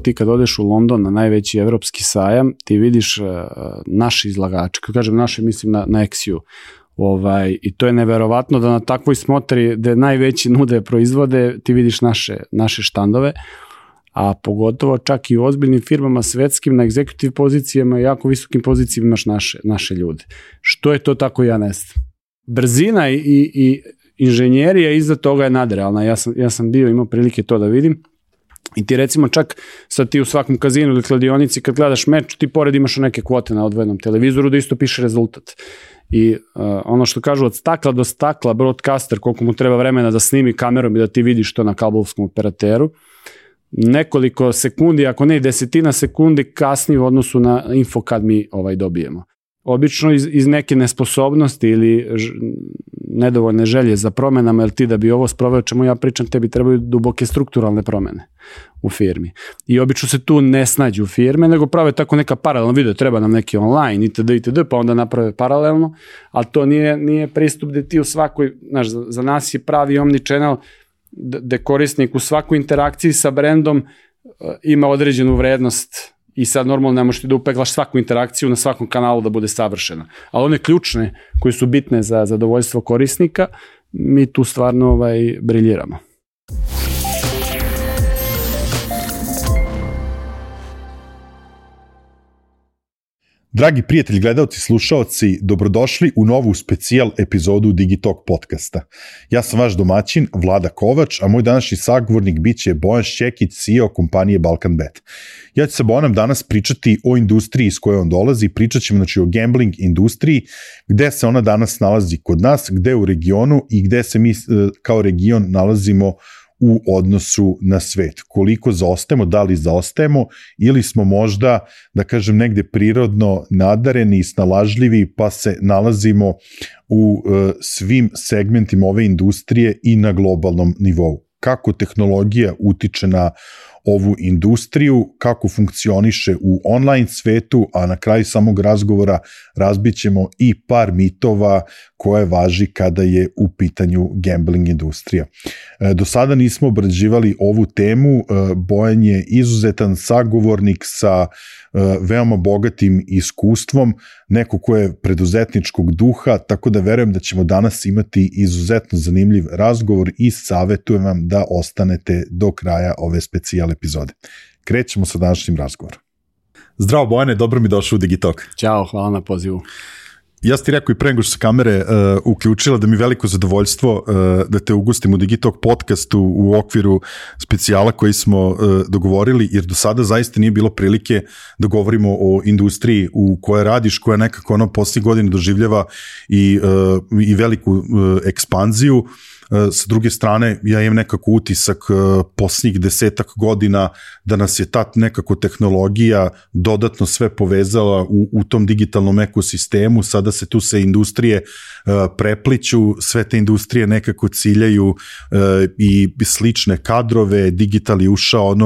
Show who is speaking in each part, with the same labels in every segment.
Speaker 1: Ti kad odeš u London na najveći evropski sajam, ti vidiš naši izlagače, kad kažem naše, mislim na XU. I to je neverovatno da na takvoj smotri gde najveći nude proizvode, ti vidiš naše štandove, a pogotovo čak i u ozbiljnim firmama svetskim na executive pozicijama i jako visokim pozicijama imaš naše ljude. Što je to tako, ja ne znam. Brzina i inženjerija iza toga je nadrealna. Ja sam imao prilike to da vidim. I ti recimo čak sad ti u svakom kazinu ili kladionici kad gledaš meč, ti pored imaš neke kvote na odvojenom televizoru da isto piše rezultat. I ono što kažu od stakla do stakla, broadcaster, koliko mu treba vremena da snimi kamerom i da ti vidiš to na kablovskom operateru, nekoliko sekundi, ako ne i desetina sekundi kasnije u odnosu na info kad mi dobijemo. Obično iz neke nesposobnosti ili nedovoljne želje za promenama, jer ti da bi ovo sproveo čemu ja pričam, tebi trebaju duboke strukturalne promene u firmi. I obično se tu ne snađu firme, nego prave tako neka paralelna video, treba nam neki online itd., pa onda naprave paralelno, ali to nije pristup gde ti u svakoj, znaš, za nas je pravi omnichannel gde korisnik u svakoj interakciji sa brendom ima određenu vrednost i sad normalno ne možeš ti da upeglaš svaku interakciju na svakom kanalu da bude savršena. Ali one ključne koje su bitne za zadovoljstvo korisnika, mi tu stvarno briljiramo.
Speaker 2: Dragi prijatelji, gledalci, slušaoci, dobrodošli u novu specijal epizodu Digitalk podcasta. Ja sam vaš domaćin, Vlada Kovač, a moj današnji sagovornik biće Bojan Šćekić, CEO kompanije Balkanbet. Ja ću sa Bojanom danas pričati o industriji iz koje on dolazi, pričat ćemo o gambling industriji, gde se ona danas nalazi kod nas, gde u regionu i gde se mi kao region nalazimo u odnosu na svet. Koliko zaostajemo, da li zaostajemo ili smo možda, da kažem, negde prirodno nadareni i snalažljivi pa se nalazimo u svim segmentima ove industrije i na globalnom nivou. Kako tehnologija utiče na ovu industriju, kako funkcioniše u online svetu, a na kraju samog razgovora razbićemo i par mitova koje važi kada je u pitanju gambling industrija. Do sada nismo obrađivali ovu temu, Bojan je izuzetan sagovornik sa veoma bogatim iskustvom, neko ko je preduzetničkog duha, tako da verujem da ćemo danas imati izuzetno zanimljiv razgovor i savjetujem vam da ostanete do kraja ove specijal epizode. Krećemo sa današnjim razgovorom. Zdravo Bojane, dobro mi došao u Digitalk.
Speaker 1: Ćao, hvala na pozivu.
Speaker 2: Ja sam ti rekao i pre nego što se kamere uključila da mi veliko zadovoljstvo da te ugostim u Digitalk podcastu u okviru specijala koji smo dogovorili, jer do sada zaista nije bilo prilike da govorimo o industriji u kojoj radiš, koja nekako posljednjih godina doživljava i veliku ekspanziju. Sa druge strane, ja imam nekako utisak posljednjih 10 godina da nas je ta nekako tehnologija dodatno sve povezala u tom digitalnom ekosistemu, sada se tu se industrije prepliću, sve te industrije nekako ciljaju i slične kadrove, digital je ušao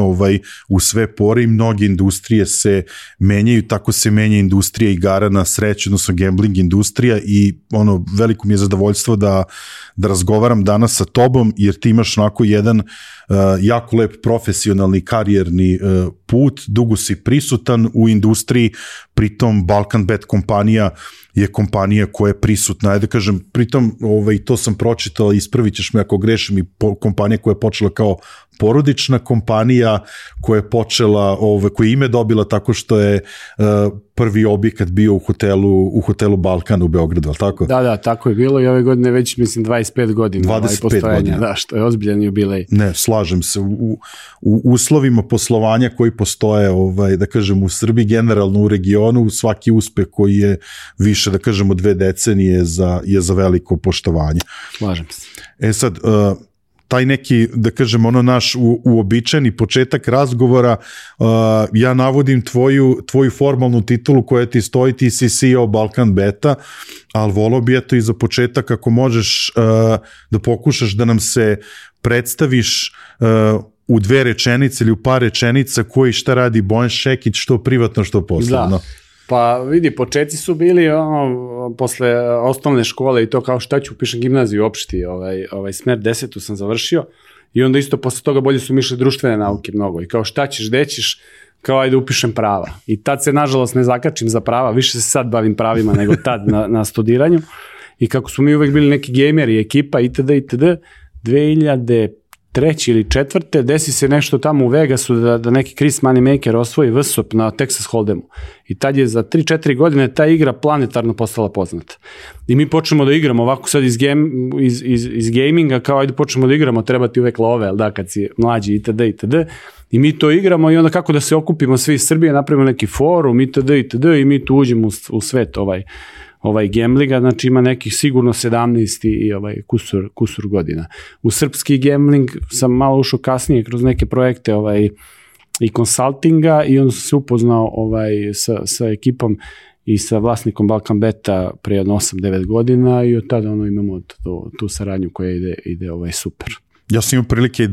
Speaker 2: u sve pore i mnoge industrije se menjaju, tako se menja industrija igara na sreću, odnosno gambling industrija i veliko mi je zadovoljstvo da razgovaram danas sa tobom, jer ti imaš onako jedan jako lep profesionalni karijerni put, dugo si prisutan u industriji, pritom Balkanbet kompanija je kompanija koja je prisutna, ajde kažem, pritom to sam pročitao, ispravit ćeš me ako grešim, i kompanija koja je počela kao porodična kompanija, koja je počela, koja je ime dobila tako što je prvi objekat bio u hotelu Balkan u Beogradu, ali tako?
Speaker 1: Da, tako je bilo i ove godine već, mislim, 25 godina.
Speaker 2: 25 godina.
Speaker 1: Da, što je ozbiljan jubilej.
Speaker 2: Ne, slažem se. U uslovima poslovanja koji postoje, da kažem, u Srbiji, generalno u regionu, svaki uspeh koji je više, da kažem, od 2 decenije je za veliko poštovanje.
Speaker 1: Slažem se.
Speaker 2: Sad, taj neki, da kažem, naš uobičajeni početak razgovora, ja navodim tvoju formalnu titulu koja ti stoji, ti si CEO Balkanbeta, ali volao bi i za početak ako možeš da pokušaš da nam se predstaviš u 2 rečenice ili u par rečenica koji šta radi Bojan Šćekić, što privatno, što poslovno.
Speaker 1: Da. Pa vidi, početci su bili posle osnovne škole i to kao šta ću upišem gimnaziju opšti, smer 10. sam završio I onda isto posle toga bolje su mi išle društvene nauke mnogo. I kao šta ćeš, gde ćeš, kao ajde upišem prava. I tad se nažalost ne zakačim za prava, više se sad bavim pravima nego tad na studiranju. I kako smo mi uvek bili neki gejmeri, ekipa itd. 2003. ili 2004. desi se nešto tamo u Vegasu da neki Chris Moneymaker osvoji VSOP na Texas Hold'emu. I tad je za 3-4 godine ta igra planetarno postala poznata. I mi počnemo da igramo ovako sad iz gaminga, kao ajde počnemo da igramo, treba ti uvek love, da, kad si mlađi itd. I mi to igramo i onda kako da se okupimo svi iz Srbije, napravimo neki forum itd. I mi tu uđemo u svet gamblinga, znači ima nekih sigurno 17 i kusur godina. U srpski gambling sam malo ušao kasnije kroz neke projekte i konsultinga i onda sam se upoznao sa ekipom i sa vlasnikom Balkan Beta pre 8-9 godina i od tada imamo tu saradnju koja ide super.
Speaker 2: Ja sam imao prilike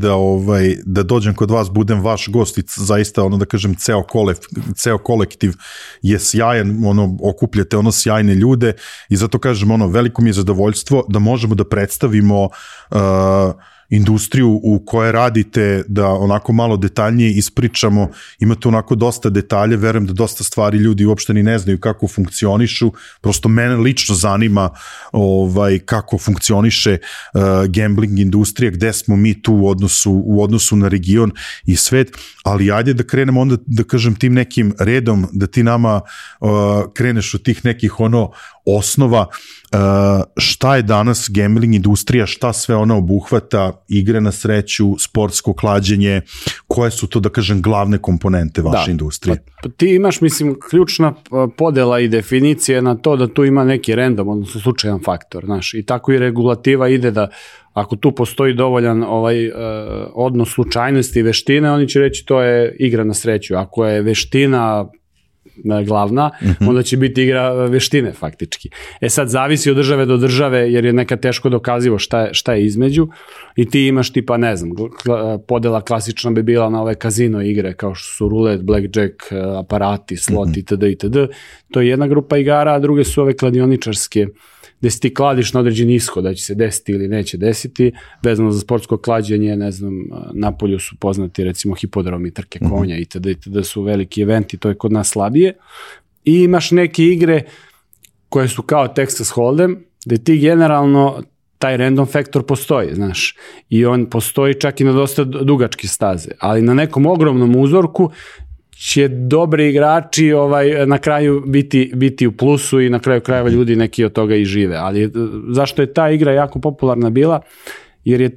Speaker 2: da dođem kod vas, budem vaš gost i zaista, da kažem, ceo kolektiv je sjajan, okupljate sjajne ljude i zato kažem, veliko mi je zadovoljstvo da možemo da predstavimo industriju u kojoj radite, da onako malo detaljnije ispričamo, imate onako dosta detalje, verujem da dosta stvari ljudi uopšte ni ne znaju kako funkcionišu, prosto mene lično zanima kako funkcioniše gambling industrija, gde smo mi tu u odnosu na region i svet, ali ajde da krenemo onda, da kažem, tim nekim redom, da ti nama kreneš od tih nekih osnova, šta je danas gambling industrija, šta sve ona obuhvata, igre na sreću, sportsko klađenje, koje su to, da kažem, glavne komponente vaše industrije?
Speaker 1: Ti imaš, mislim, ključna podela i definicija na to da tu ima neki random, odnosno slučajan faktor, znaš, i tako i regulativa ide da ako tu postoji dovoljan odnos slučajnosti i veštine, oni će reći to je igra na sreću. Ako je veština glavna, onda će biti igra veštine faktički. Sad zavisi od države do države, jer je nekad teško dokazivo šta je između i ti imaš tipa, ne znam, podela klasična bi bila na ove kazino igre, kao što su rulet, blackjack, aparati, slot itd. To je jedna grupa igara, a druge su ove kladioničarske, gde si ti kladiš na određeni ishod, da će se desiti ili neće desiti, vezano za sportsko klađenje, ne znam, napolju su poznati recimo hipodromi, trke konja itd. Su veliki eventi, to je kod nas slabije. I imaš neke igre koje su kao Texas Hold'em, gde ti generalno taj random faktor postoji, znaš, i on postoji čak i na dosta dugačke staze, ali na nekom ogromnom uzorku će dobri igrači na kraju biti u plusu i na kraju krajeva ljudi neki od toga i žive. Ali zašto je ta igra jako popularna bila? Jer je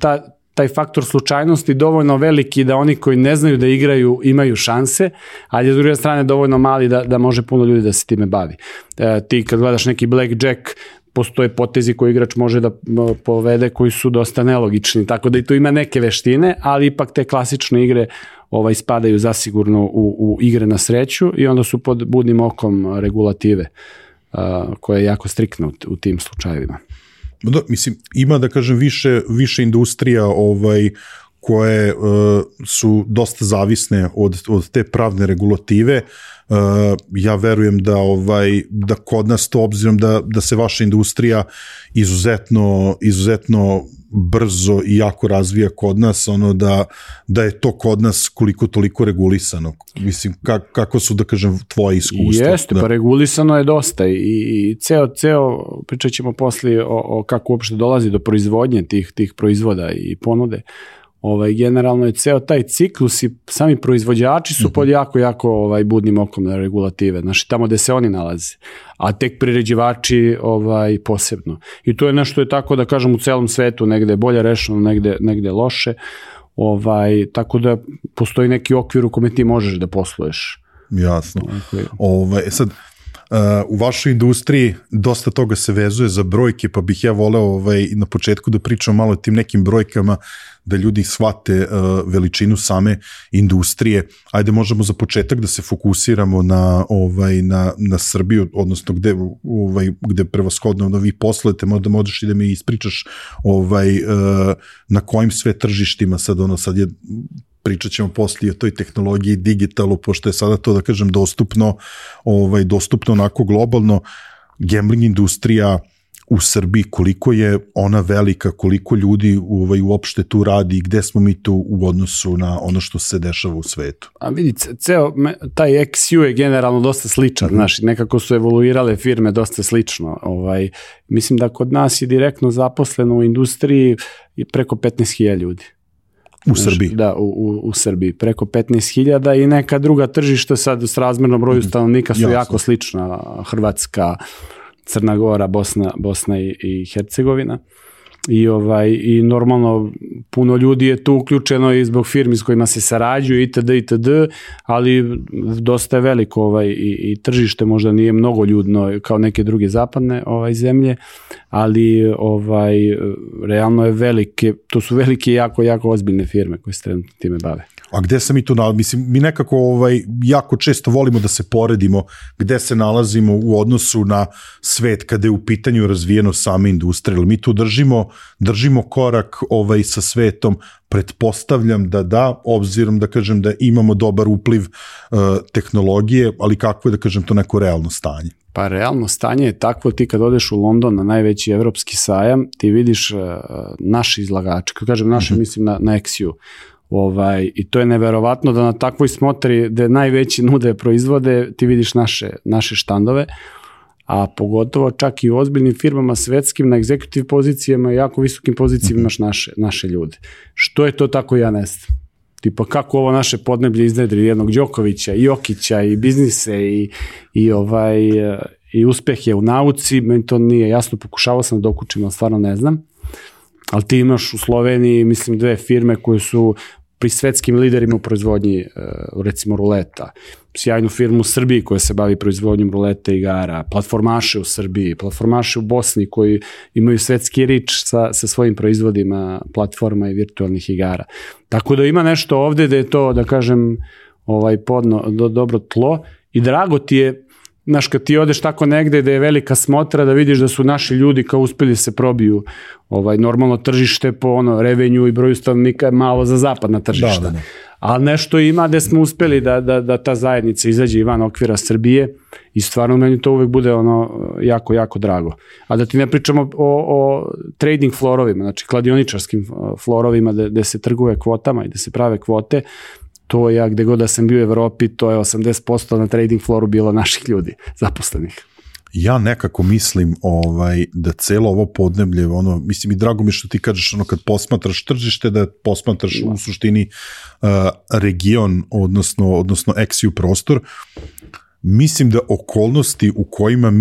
Speaker 1: taj faktor slučajnosti dovoljno veliki da oni koji ne znaju da igraju imaju šanse, ali je s druge strane dovoljno mali da može puno ljudi da se time bavi. Ti kad gledaš neki blackjack, postoje potezi koji igrač može da povede koji su dosta nelogični, tako da i tu ima neke veštine, ali ipak te klasične igre spadaju zasigurno u igre na sreću i onda su pod budnim okom regulative koja je jako striktna u tim slučajevima.
Speaker 2: Da, mislim, ima, da kažem, više industrija koje su dosta zavisne od te pravne regulative. Ja verujem da kod nas to, obzirom da se vaša industrija izuzetno brzo i jako razvija kod nas, da je to kod nas koliko toliko regulisano. Mislim, kako su, da kažem, tvoje iskustva?
Speaker 1: Jeste, pa regulisano je dosta i ceo pričat ćemo poslije o kako uopšte dolazi do proizvodnje tih proizvoda i ponude. Generalno je ceo taj ciklus i sami proizvođači su pod jako budnim okom na regulative, znači tamo gde se oni nalaze, a tek priređivači posebno. I to je nešto je tako, da kažem, u celom svetu, negde je bolje rešeno, negde loše, tako da postoji neki okvir u kome ti možeš da posluješ.
Speaker 2: Jasno. Sad, u vašoj industriji dosta toga se vezuje za brojke, pa bih ja voleo na početku da pričam malo o tim nekim brojkama, da ljudi shvate veličinu same industrije. Ajde, možemo za početak da se fokusiramo na Srbiju, odnosno gde prevashodno vi poslujete, možda možeš i da mi ispričaš na kojim sve tržištima sad je, pričat ćemo poslije o toj tehnologiji, digitalu, pošto je sada to, da kažem, dostupno onako globalno. Gambling industrija u Srbiji, koliko je ona velika, koliko ljudi uopšte tu radi i gde smo mi tu u odnosu na ono što se dešava u svetu?
Speaker 1: A vidi, taj XU je generalno dosta sličan, znaš, nekako su evoluirale firme dosta slično. Mislim da kod nas je direktno zaposleno u industriji preko 15.000 ljudi.
Speaker 2: U Srbiji?
Speaker 1: Da, u Srbiji. Preko 15.000 i neka druga tržišta sad s razmernom broju stanovnika su jako slična. Hrvatska, Crna Gora, Bosna i Hercegovina. I normalno puno ljudi je tu uključeno i zbog firmi s kojima se sarađuju itd., ali dosta je veliko i tržište možda nije mnogo ljudno kao neke druge zapadne zemlje, ali realno je velike, to su velike jako ozbiljne firme koje se trenutno time bave.
Speaker 2: A gde se mi tu nalazimo? Mislim, mi nekako jako često volimo da se poredimo gde se nalazimo u odnosu na svet kada je u pitanju razvijenost same industrije. Mi tu držimo korak sa svetom, pretpostavljam da, obzirom da kažem da imamo dobar upliv tehnologije, ali kako je da kažem to neko realno stanje?
Speaker 1: Pa realno stanje je takvo, ti kad odeš u London na najveći evropski sajam, ti vidiš naši izlagači, kad kažem naši, mislim na XU. I to je neverovatno da na takvoj smotri gde najveći nude proizvode ti vidiš naše štandove, a pogotovo čak i u ozbiljnim firmama svetskim na executive pozicijama i jako visokim pozicijama imaš naše ljude. Što je to tako, ja ne znam. Tipa kako ovo naše podneblje iznedri jednog Đokovića i Jokića i biznise i uspehe u nauci, meni to nije jasno, pokušavao sam da dokučim, ali stvarno ne znam. Ali ti imaš u Sloveniji, mislim, 2 firme koje su pri svetskim liderima u proizvodnji, recimo ruleta, sjajnu firmu u Srbiji koja se bavi proizvodnjom ruleta i igara, platformaše u Srbiji, platformaše u Bosni koji imaju svetski rič sa svojim proizvodima platforma i virtualnih igara. Tako da ima nešto ovde da je to, da kažem, dobro tlo i drago ti je, znaš, kad ti odeš tako negde da je velika smotra, da vidiš da su naši ljudi kao uspeli se probiju normalno tržište po revenju i broju stanovnika je malo za zapadna tržišta. Da. Ali nešto ima gde smo uspeli da ta zajednica izađe van okvira Srbije i stvarno meni to uvek bude jako drago. A da ti ne pričamo o trading florovima, znači kladioničarskim florovima gde se trguje kvotama i gde se prave kvote, to ja gde god da sam bio u Evropi, to je 80% na trading floru bilo naših ljudi, zaposlenih.
Speaker 2: Ja nekako mislim da celo ovo podneblje, mislim i drago mi što ti kažeš kad posmatraš tržište, da posmatraš u suštini region, odnosno XU prostor. Mislim da okolnosti u kojima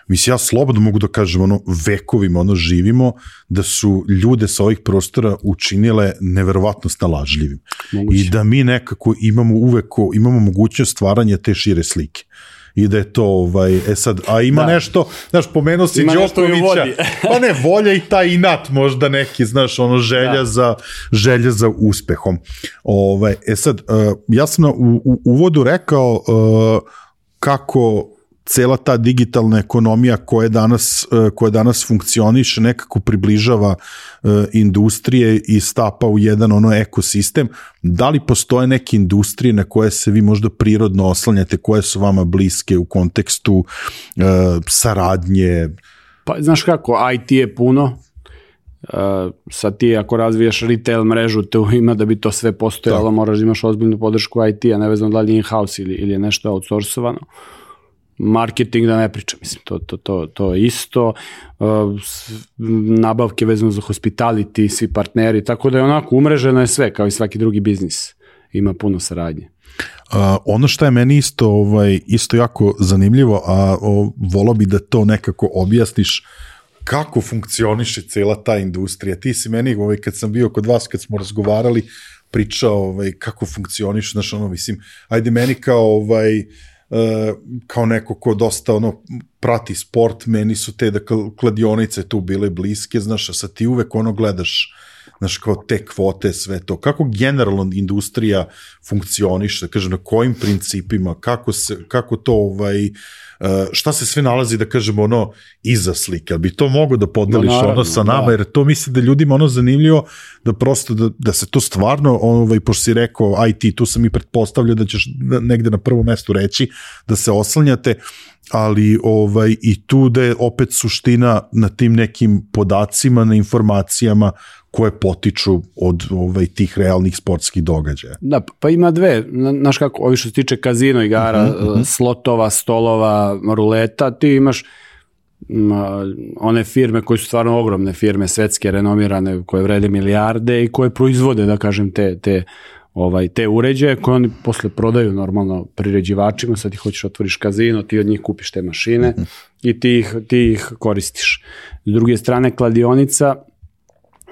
Speaker 2: mislim ja slobodno mogu da kažem vekovima živimo, da su ljude sa ovih prostora učinile neverovatno snalažljivim. I da mi nekako imamo mogućnost stvaranja te šire slike. I da je to, sad, a ima nešto, znaš, pomenuo si Đokovića, pa ne, volja i taj inat možda neki, znaš, želja za uspehom. Sad, ja sam u uvodu rekao kako cela ta digitalna ekonomija koja danas funkcioniše nekako približava industrije i stapa u jedan ekosistem. Da li postoje neke industrije na koje se vi možda prirodno oslanjate, koje su vama bliske u kontekstu saradnje?
Speaker 1: Pa znaš kako, IT je puno. Sad ti ako razvijaš retail mrežu, te ima da bi to sve postojalo, moraš da imaš ozbiljnu podršku IT-a, nevezano da li je in-house ili je nešto outsourcovano. Marketing da ne pričam, mislim, to je isto, nabavke vezano za hospitality, svi partneri, tako da je onako umreženo je sve, kao i svaki drugi biznis, ima puno saradnje.
Speaker 2: Ono što je meni isto jako zanimljivo, a volao bi da to nekako objasniš, kako funkcioniše cela ta industrija. Ti si meni, kad sam bio kod vas, kad smo razgovarali, pričao kako funkcioniše, znaš, mislim, ajde meni kao neko ko dosta prati sport, meni su te kladionice tu bile bliske, znaš, a sad ti uvek gledaš znaš, kao te kvote, sve to. Kako generalno industrija funkcioniše, kažem, na kojim principima, kako to, šta se sve nalazi, da kažemo, ono, iza slike, ali bi to mogo da podeliš ono sa nama, jer to misli da ljudima ono zanimljivo, da prosto, da se to stvarno, pošto si rekao IT, tu sam i pretpostavljao da ćeš negde na prvom mestu reći, da se oslanjate, ali i tu da je opet suština na tim nekim podacima, na informacijama koje potiču od tih realnih sportskih događaja.
Speaker 1: Da, pa ima dve, znaš kako, ovi što se tiče kazino igara, slotova, stolova, ruleta, ti imaš one firme koje su stvarno ogromne firme, svetske, renomirane, koje vrede milijarde i koje proizvode, da kažem, te uređaje koje oni posle prodaju normalno priređivačima, sad ti hoćeš otvoriš kazino, ti od njih kupiš te mašine i ti ih koristiš. S druge strane, kladionica,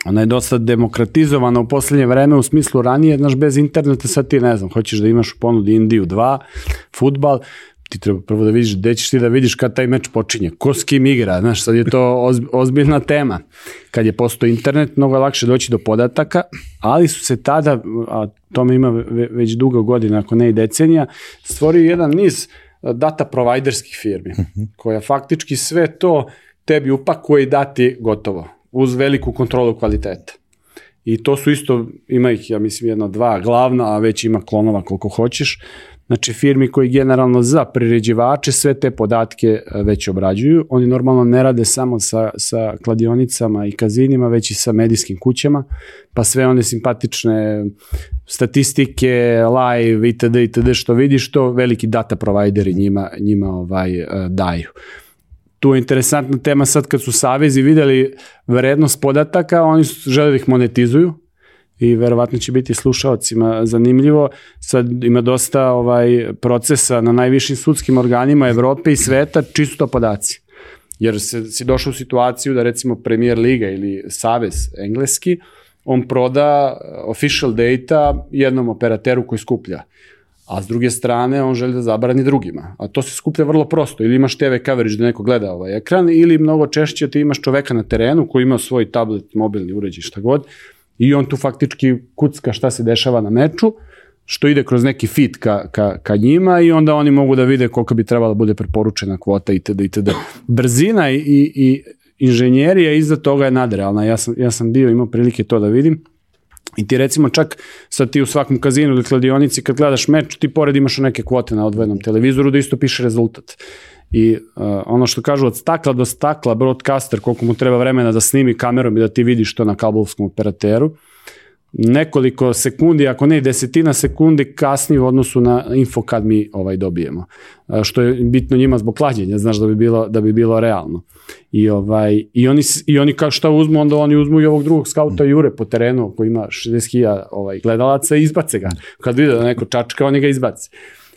Speaker 1: ona je dosta demokratizovana u poslednje vreme, u smislu ranije, znaš, bez interneta sad ti, ne znam, hoćeš da imaš u ponudi Indiju 2, fudbal, ti treba prvo da vidiš gde ćeš ti da vidiš kad taj meč počinje, ko s kim igra, znaš, sad je to ozbiljna tema. Kad je postao internet, mnogo je lakše doći do podataka, ali su se tada, a tome ima već dugo godina, ako ne i decenija, stvorio jedan niz data providerskih firmi, koja faktički sve to tebi upakuje i dati gotovo, uz veliku kontrolu kvaliteta. I to su isto, ima ih, ja mislim, 1-2 glavna, a već ima klonova koliko hoćeš. Znači, firmi koji generalno za priređivače sve te podatke već obrađuju. Oni normalno ne rade samo sa kladionicama i kazinima, već i sa medijskim kućama, pa sve one simpatične statistike, live, itd. Što vidiš, to veliki data provideri njima daju. Tu je interesantna tema sad kad su savezi videli vrednost podataka, oni su žele da ih monetizuju i verovatno će biti slušaocima zanimljivo. Sad ima dosta procesa na najvišim sudskim organima Evrope i sveta, čisto to podaci. Jer si došao u situaciju da recimo Premier Liga ili Savez engleski, on proda official data jednom operateru koji skuplja. A s druge strane, on želi da zabrani drugima. A to se skuplja vrlo prosto. Ili imaš TV coverage da neko gleda ovaj ekran, ili mnogo češće ti imaš čoveka na terenu koji ima svoj tablet, mobilni uređaj, šta god, i on tu faktički kucka šta se dešava na meču, što ide kroz neki feed ka njima i onda oni mogu da vide koliko bi trebala bude preporučena kvota itd. Brzina i inženjerija iza toga je nadrealna. Ja sam imao prilike to da vidim. I ti recimo čak sad ti u svakom kazinu ili kladionici kad gledaš meč, ti pored imaš neke kvote na odvojenom televizoru da isto piše rezultat. I ono što kažu od stakla do stakla, broadcaster, koliko mu treba vremena da snimi kamerom i da ti vidiš to na kablovskom operateru, nekoliko sekundi, ako ne 10 sekundi kasnije u odnosu na info kad mi dobijemo. Što je bitno njima zbog klađenja, znaš, da bi bilo realno. I oni kao šta uzmu, onda oni uzmu i ovog drugog skauta Jure po terenu koji ima 60.000 gledalaca i izbace ga. Kad vide da neko čačka, oni ga izbace.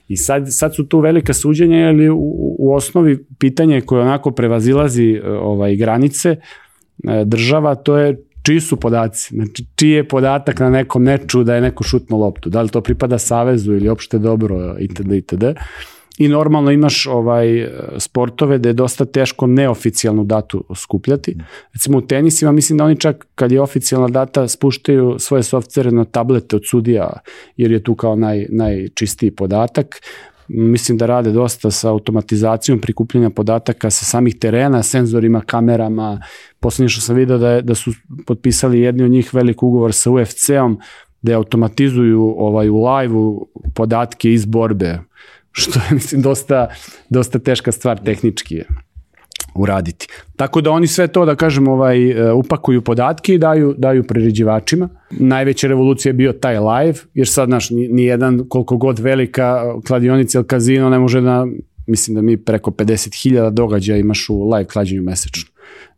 Speaker 1: I sad su tu velika suđenja, jer u osnovi pitanje koje onako prevazilazi granice država, to je čiji su podaci, znači čiji je podatak na nekom meču da je neko šutno loptu, da li to pripada savezu ili opšte dobro itd. I normalno imaš sportove da je dosta teško neoficijalnu datu skupljati. Recimo u tenisima mislim da oni čak kad je oficijalna data spuštaju svoje softvere na tablete od sudija, jer je tu kao najčistiji podatak. Mislim da rade dosta sa automatizacijom prikupljanja podataka sa samih terena, senzorima, kamerama. Poslednje što sam vidio da su potpisali jedni od njih velik ugovor sa UFC-om da automatizuju u live-u podatke iz borbe, što je mislim dosta teška stvar tehnički uraditi. Tako da oni sve to, da kažem, upakuju podatke i daju priređivačima. Najveća revolucija je bio taj live, jer sad, znaš, nijedan koliko god velika kladionica ili kazino ne može da, mislim da mi preko 50.000 događaja imaš u live klađenju mesečno.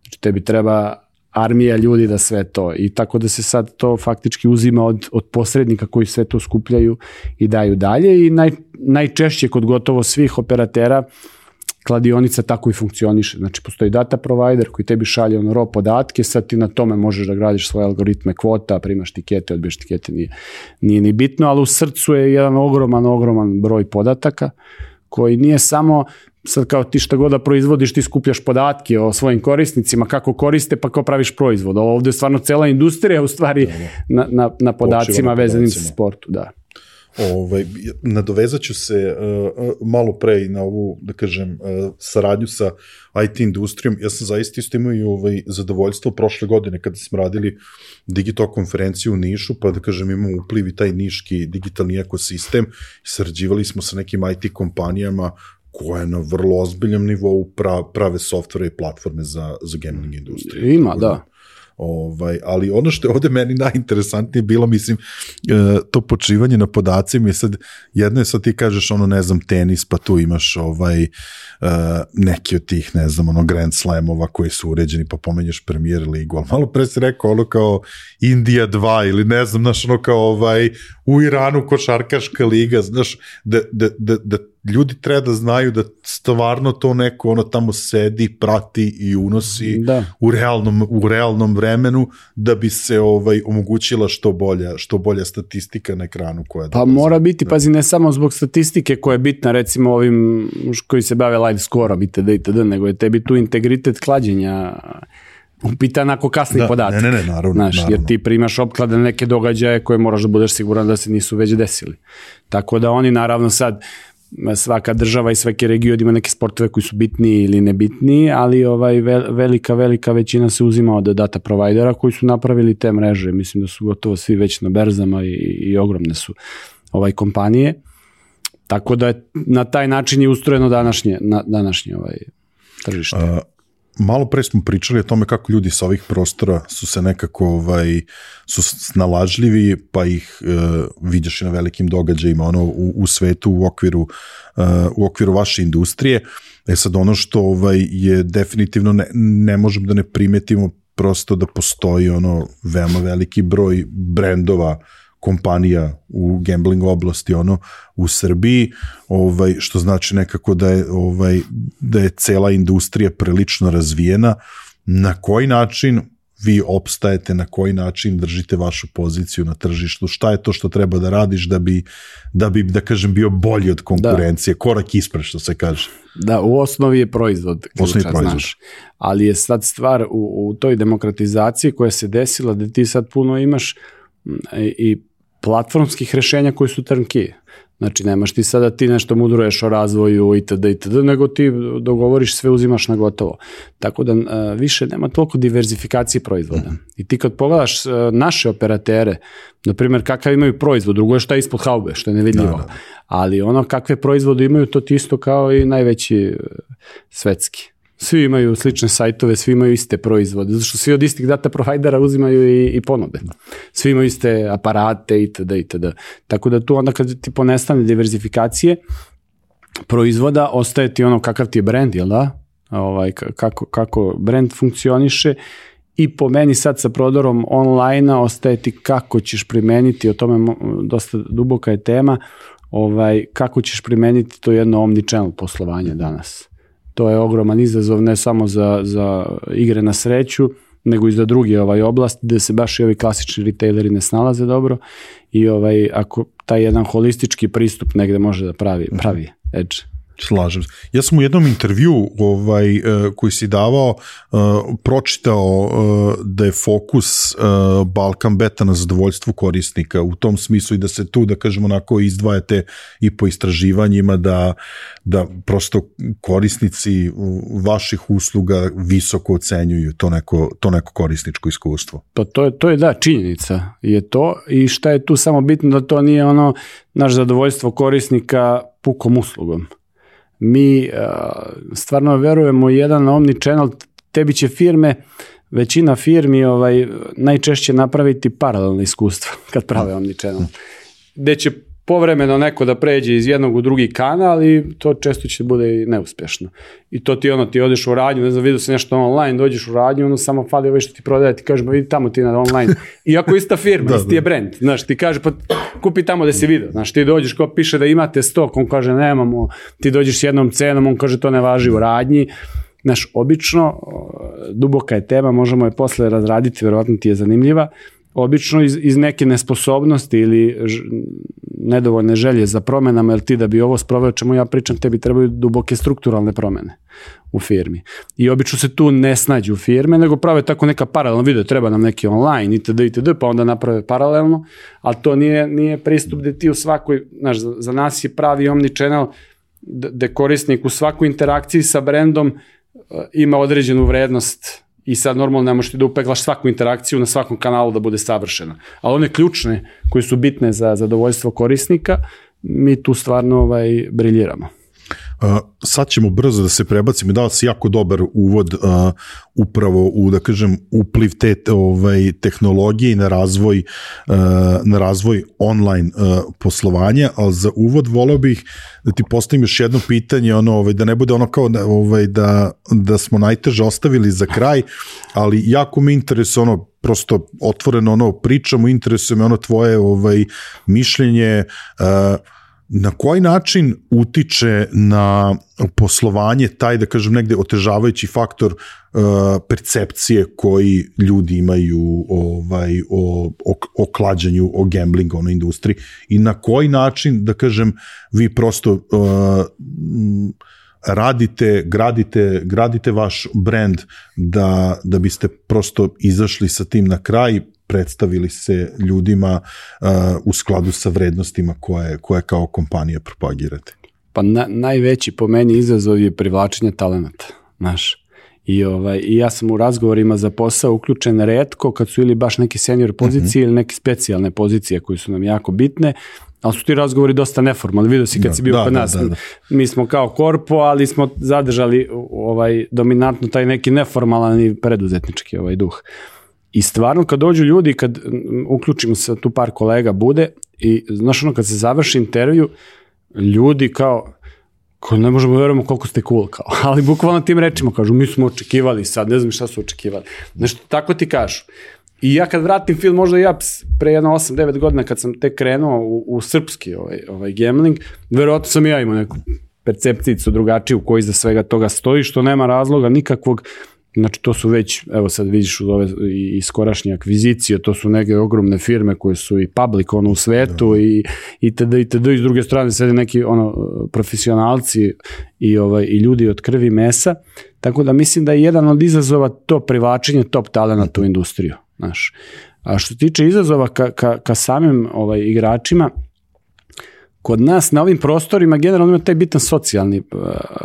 Speaker 1: Znači, tebi treba armija ljudi da sve to, i tako da se sad to faktički uzima od posrednika koji sve to skupljaju i daju dalje, i najčešće kod gotovo svih operatera kladionica tako i funkcioniše. Znači, postoji data provider koji tebi šalje raw podatke, sad ti na tome možeš da gradiš svoje algoritme kvota, primaš tikete, odbiješ tikete, nije ni bitno, ali u srcu je jedan ogroman broj podataka koji nije samo sad kao ti šta god da proizvodiš, ti skupljaš podatke o svojim korisnicima, kako koriste, pa kao praviš proizvod. Ovdje je stvarno cela industrija u stvari na podacima vezanim sa sportu. Da.
Speaker 2: Nadovezat ću se malo pre na ovu, da kažem, saradnju sa IT industrijom. Ja sam zaista isto imao i zadovoljstvo prošle godine kada smo radili Digitalk konferenciju u Nišu, pa da kažem imamo upliv i taj niški digitalni ekosistem. Sarađivali smo sa nekim IT kompanijama koje na vrlo ozbiljnom nivou prave softvere i platforme za gambling industriju.
Speaker 1: Ima, da.
Speaker 2: Ali ono što je ovde meni najinteresantnije bilo, mislim, to počivanje na podacima i sad, jedno je sad ti kažeš ne znam, tenis, pa tu imaš neki od tih, ne znam, Grand Slamova koji su uređeni, pa pomenješ Premier ligu, ali malo pre si rekao kao Indija 2 ili ne znam, znaš, kao u Iranu košarkaška liga, znaš, da ljudi treba da znaju da stvarno to neko tamo sedi, prati i unosi u realnom vremenu da bi se omogućila što bolja statistika na ekranu.
Speaker 1: Pa mora biti, pazi, ne samo zbog statistike koja je bitna, recimo ovim koji se bave live score-om itd., nego je tebi tu integritet klađenja upitan ako kasni podatak.
Speaker 2: Ne, naravno.
Speaker 1: Jer ti primaš opklade na neke događaje koje moraš da budeš siguran da se nisu već desili. Tako da oni naravno sad svaka država i svaki region ima neke sportove koji su bitniji ili nebitniji, ali velika većina se uzima od data provajdera koji su napravili te mreže. Mislim da su gotovo svi već na berzama i ogromne su kompanije. Tako da je na taj način je ustrojeno današnje tržište.
Speaker 2: Malo pre smo pričali o tome kako ljudi sa ovih prostora su se nekako su snalažljivi, pa ih vidiš i na velikim događajima u svetu u okviru vaše industrije. Sad ono što je definitivno ne možemo da ne primetimo prosto da postoji veoma veliki broj brendova, kompanija u gambling oblasti u Srbiji, što znači nekako da je cela industrija prilično razvijena. Na koji način vi opstajete, na koji način držite vašu poziciju na tržištu, šta je to što treba da radiš da bi da kažem, bio bolji od konkurencije, korak ispred, što se kaže.
Speaker 1: Da, u osnovi je proizvod, znaš, ali je sad stvar u toj demokratizaciji koja se desila, da ti sad puno imaš i platformskih rešenja koji su turnkey. Znači, nemaš ti sada ti nešto mudruješ o razvoju itd., nego ti dogovoriš sve, uzimaš na gotovo. Tako da više nema toliko diverzifikacije proizvoda. I ti kad pogledaš naše operatere, na primjer, kakav imaju proizvod, drugo je šta je ispod haube, što je nevidljivo. Ali kakve proizvode imaju, to ti isto kao i najveći svetski. Svi imaju slične sajtove, svi imaju iste proizvode, zato što svi od istih data provajdera uzimaju i ponude. Svi imaju iste aparate itd. Tako da tu onda kad ti ponestane diverzifikacije proizvoda, ostaje ti kakav ti je brand, jel da? Kako brand funkcioniše i po meni sad sa prodorom online-a ostaje ti kako ćeš primeniti, o tome dosta duboka je tema, kako ćeš primeniti to jedno omnichannel poslovanje danas. To je ogroman izazov ne samo za igre na sreću, nego i za druge oblasti gde se baš i ovi klasični retaileri ne snalaze dobro i ako taj jedan holistički pristup negde može da pravi edge.
Speaker 2: Slažem se. Ja sam u jednom intervju koji si davao pročitao da je fokus Balkan Beta na zadovoljstvu korisnika u tom smislu i da se tu, da kažemo, onako izdvajate i po istraživanjima da prosto korisnici vaših usluga visoko ocenjuju to neko korisničko iskustvo.
Speaker 1: Pa to je da, činjenica je to i šta je tu samo bitno da to nije naš zadovoljstvo korisnika pukom uslugom. Mi stvarno verujemo jedan omnichannel, tebi će većina firmi najčešće napraviti paralelno iskustvo kad prave omnichannel. Gde će povremeno neko da pređe iz jednog u drugi kanal i to često će bude i neuspješno. I to ti odeš u radnju, ne znam, vidio se nešto online, dođeš u radnju, samo fali što ti prodaje, ti kažeš, vidi tamo ti na online. Iako ista firma, isti je brand, znaš, ti kaže, pa kupi tamo da si vidio, znaš, ti dođeš, ko piše da imate stok, on kaže, nemamo, ti dođeš s jednom cenom, on kaže, to ne važi u radnji. Znaš, obično, duboka je tema, možemo je posle razraditi, verovatno ti je zanimljiva, obično iz neke nesposobnosti ili nedovoljne želje za promenama, jer ti da bi ovo sproveo čemu ja pričam, tebi trebaju duboke strukturalne promene u firmi. I obično se tu ne snađu firme, nego prave tako neka paralelno video, treba nam neki online itd., pa onda naprave paralelno, ali to nije pristup gde ti u svakoj, znaš, za nas je pravi omnichannel gde korisnik u svakoj interakciji sa brendom ima određenu vrednost i sad normalno ne možeš ti da upeglaš svaku interakciju na svakom kanalu da bude savršena. Ali one ključne koje su bitne za zadovoljstvo korisnika, mi tu stvarno briljiramo.
Speaker 2: Sad ćemo brzo da se prebacimo, dao si jako dobar uvod upravo u, da kažem, upliv te tehnologije i na razvoj online poslovanja, ali za uvod voleo bih da ti postavim još jedno pitanje, da ne bude ono kao da smo najteže ostavili za kraj, ali jako me interesuje prosto otvoreno pričamo, interesuje me tvoje mišljenje, na koji način utiče na poslovanje taj, da kažem, negde otežavajući faktor percepcije koji ljudi imaju o klađenju, o gamblingu, o industriji i na koji način, da kažem, vi prosto gradite vaš brand da biste prosto izašli sa tim na kraj, predstavili se ljudima u skladu sa vrednostima koje kao kompanija propagirate?
Speaker 1: Pa najveći po meni izazov je privlačenje talenata, znaš. I ja sam u razgovorima za posao uključen retko kad su ili baš neke senior pozicije ili neke specijalne pozicije koje su nam jako bitne, ali su ti razgovori dosta neformalni. Vidio si kad si bio kod nas, mi smo kao korpo, ali smo zadržali dominantno taj neki neformalan i preduzetnički duh. I stvarno kad dođu ljudi, kad uključimo se, tu par kolega bude i znaš kad se završi intervju, ljudi kao ne možemo verujemo koliko ste cool, kao, ali bukvalno tim rečima kažu, mi smo očekivali sad, ne znam šta su očekivali. Nešto tako ti kažu. I ja kad vratim film, možda ja pre 8-9 godina kad sam tek krenuo u srpski gambling, verovatno sam ja imao neku percepcijicu drugačiju koji iza svega toga stoji, što nema razloga nikakvog. Znači to su već, evo sad vidiš uz ove i skorašnje akvizicije, to su neke ogromne firme koje su i public u svetu i itd. I s druge strane sede neki profesionalci i ljudi od krvi i mesa, tako da mislim da je jedan od izazova to privlačenje top talenata u industriju, znaš. A što tiče izazova ka samim igračima, kod nas na ovim prostorima generalno ima taj bitan socijalni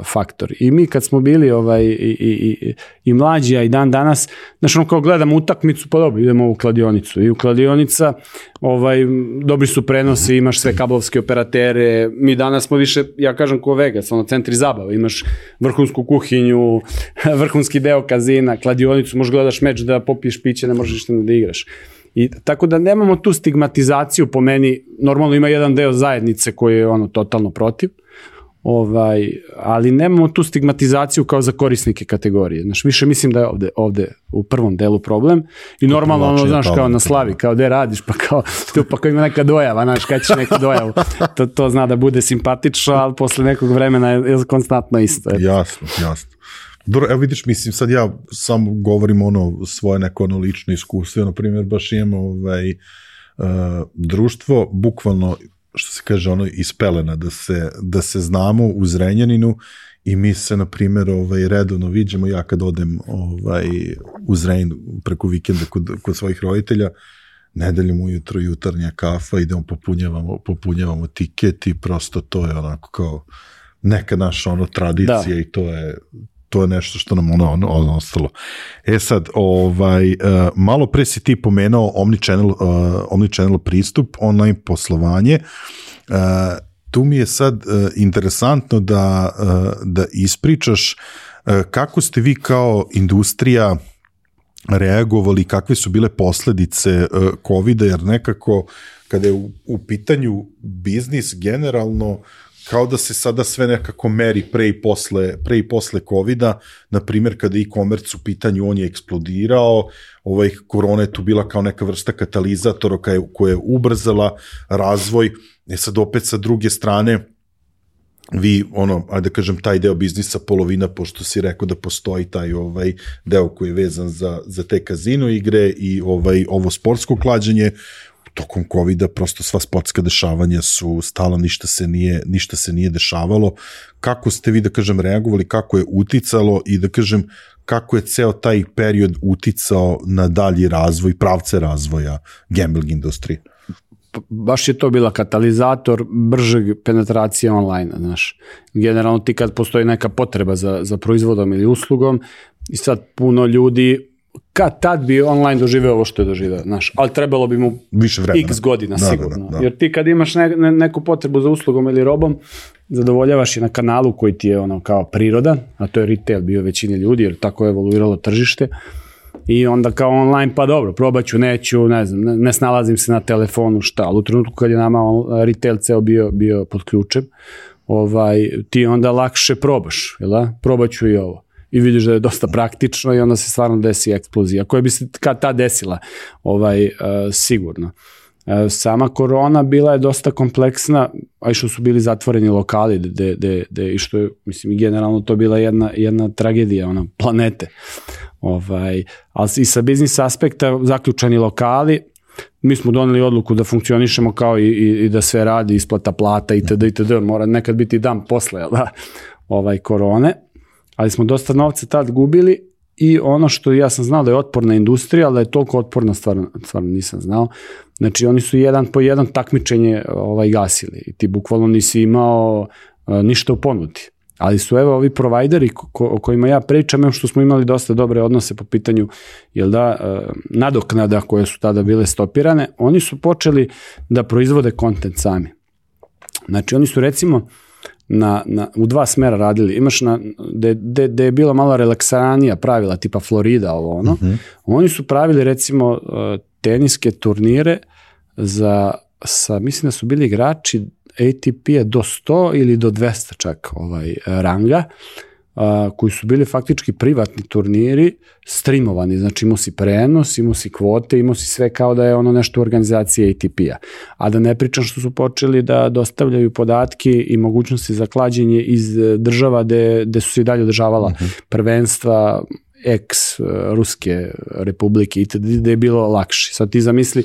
Speaker 1: faktor i mi kad smo bili i mlađi, a i dan danas, znači kao gledamo utakmicu, pa dobro, idemo u kladionicu i u kladionica dobri su prenosi, imaš sve kablovske operatere, mi danas smo više, ja kažem ko Vegas, centri zabave, imaš vrhunsku kuhinju, vrhunski deo kazina, kladionicu, možeš gledaš meč da popiješ piće, ne možeš ništa da igraš. I tako da nemamo tu stigmatizaciju po meni, normalno ima jedan deo zajednice koji je totalno protiv, ali nemamo tu stigmatizaciju kao za korisnike kategorije. Znaš, više mislim da je ovde u prvom delu problem i normalno znaš, kao na slavi, kao gde radiš, pa kao tu pa kao ima neka dojava, znaš, kad ćeš neku dojavu, to zna da bude simpatično, ali posle nekog vremena je konstantno isto.
Speaker 2: Jasno. Dobro, evo vidiš, mislim, sad ja samo govorim svoje neko lično iskustvo, na primjer, baš imamo društvo, bukvalno, što se kaže, iz pelena, da se znamo u Zrenjaninu i mi se, na primjer, redovno viđemo, ja kad odem u Zrenjaninu preko vikenda kod svojih roditelja, nedeljom ujutro jutarnja kafa, idemo popunjavamo tiket i prosto to je onako kao neka naša tradicija i to je nešto što nam ostalo. Sad, malo pre si ti pomenuo omnichannel pristup, online poslovanje. Tu mi je sad interesantno da ispričaš kako ste vi kao industrija reagovali, kakve su bile posledice COVID-a, jer nekako kada je u pitanju biznis generalno, kao da se sada sve nekako meri pre i posle COVID-a, na primjer kada e-commerce u pitanju, on je eksplodirao, korona je tu bila kao neka vrsta katalizatora koja je ubrzala razvoj, sad opet sa druge strane, vi, ajde da kažem, taj deo biznisa, polovina, pošto si rekao da postoji taj deo koji je vezan za te kazino igre i ovo sportsko klađenje, tokom COVID-a prosto sva sportska dešavanja su stala, ništa se nije dešavalo. Kako ste vi, da kažem, reagovali, kako je uticalo i da kažem, kako je ceo taj period uticao na dalji razvoj, pravce razvoja gambling industrije?
Speaker 1: Baš je to bila katalizator bržeg penetracije online, znaš. Generalno ti kad postoji neka potreba za proizvodom ili uslugom i sad puno ljudi kad tad bi online doživeo ovo što je doživeo, znaš, ali trebalo bi mu više vremena, x godina sigurno. Da. Jer ti kad imaš neku potrebu za uslugom ili robom, zadovoljavaš je na kanalu koji ti je kao prirodan, a to je retail bio većini ljudi, jer tako je evoluiralo tržište. I onda kao online, pa dobro, probaću, neću, ne znam, ne snalazim se na telefonu, šta, ali u trenutku kad je nama retail ceo bio pod ključem, ti onda lakše probaš, jel da? Probaću i ovo. I vidiš da je dosta praktično i onda se stvarno desi eksplozija, koja bi se kad ta desila, sigurno. Sama korona bila je dosta kompleksna, a i što su bili zatvoreni lokali, i što je, mislim, generalno to bila jedna tragedija, planete. Ali i sa biznis aspekta zaključani lokali, mi smo doneli odluku da funkcionišemo kao i da sve radi, isplata plata itd. Mora nekad biti dan posle korone, ali smo dosta novca tad gubili i ono što ja sam znao da je otporna industrija, ali da je toliko otporna stvarno nisam znao. Znači oni su jedan po jedan takmičenje gasili i ti bukvalno nisi imao ništa u ponudi. Ali su ovi provajderi o kojima ja pričam, što smo imali dosta dobre odnose po pitanju nadoknada koje su tada bile stopirane, oni su počeli da proizvode kontent sami. Znači oni su recimo u dva smera radili. Imaš gde je bila malo relaksanija pravila, tipa Florida, Oni su pravili recimo teniske turnire mislim da su bili igrači ATP-a do 100 ili do 200 čak ranga, koji su bili faktički privatni turniri, streamovani, znači imao si prenos, imao si kvote, imao si sve kao da je nešto u organizaciji ATP-a. A da ne pričam što su počeli da dostavljaju podatke i mogućnosti za klađenje iz država gde su se i dalje održavala prvenstva, Ruske republike itd., gde je bilo lakše. Sad ti zamisli,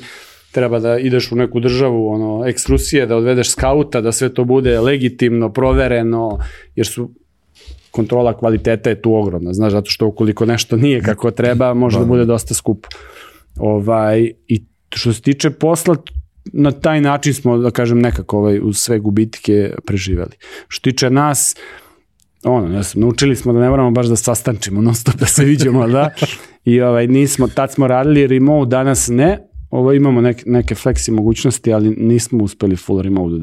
Speaker 1: treba da ideš u neku državu, ex-Rusije, da odvedeš skauta, da sve to bude legitimno, provereno, jer kontrola kvaliteta je tu ogromna, znaš, zato što ukoliko nešto nije kako treba, može da bude dosta skupo. I što se tiče posla, na taj način smo, da kažem, nekako uz sve gubitke preživeli. Što tiče nas, naučili smo da ne moramo baš da sastančimo, non stop da se viđemo, da? I tad smo radili remote, danas ne. Imamo neke flexi mogućnosti, ali nismo uspeli full remote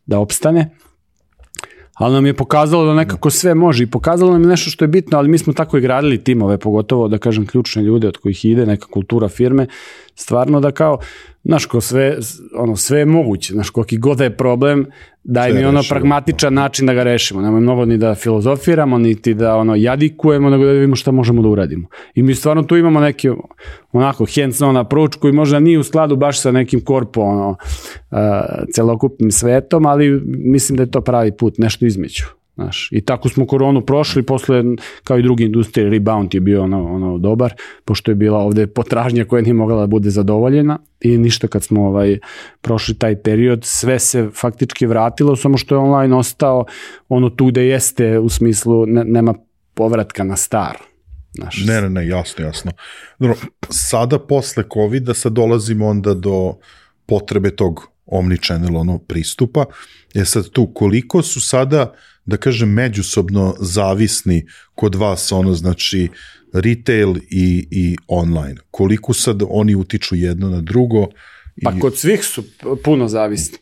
Speaker 1: da opstane. Ali nam je pokazalo da nekako sve može i pokazalo nam je nešto što je bitno, ali mi smo tako i gradili timove, pogotovo, da kažem, ključne ljude od kojih ide neka kultura firme, stvarno da kao, znaš, sve je moguće, znaš, koliki god da je problem, daj mi pragmatičan način da ga rešimo, nemoj mnogo ni da filozofiramo, niti da jadikujemo, nego da vidimo šta možemo da uradimo. I mi stvarno tu imamo neki hands-on approach koji možda nije u skladu baš sa nekim korpo, celokupnim svetom, ali mislim da je to pravi put, nešto između. I tako smo koronu prošli, posle, kao i drugi industrije, rebound je bio dobar, pošto je bila ovde potražnja koja nije mogla da bude zadovoljena i ništa kad smo prošli taj period, sve se faktički vratilo, samo što je online ostao tu gde jeste, u smislu nema povratka na staro.
Speaker 2: Ne, jasno. Sada posle COVID-a sad dolazimo onda do potrebe tog omnichannel pristupa. Sad tu, koliko su sada, da kažem, međusobno zavisni kod vas, znači retail i online? Koliko sad oni utiču jedno na drugo?
Speaker 1: Pa kod svih su puno zavisni.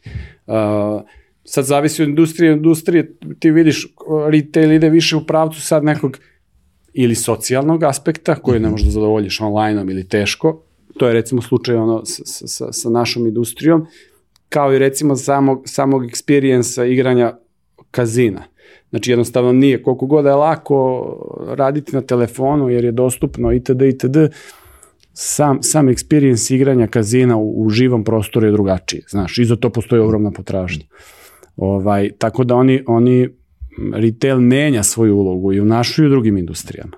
Speaker 1: Sad zavisi od industrije, ti vidiš, retail ide više u pravcu sad nekog ili socijalnog aspekta, koji ne možeš da zadovoljiš online-om ili teško. To je recimo slučaj sa našom industrijom, kao i recimo samog experience-a igranja kazina. Znači jednostavno nije, koliko god je lako raditi na telefonu jer je dostupno itd. Sam experience igranja kazina u živom prostoru je drugačiji, znaš, i za to postoji ogromna potražnja. Tako da oni retail menja svoju ulogu i u našoj i u drugim industrijama.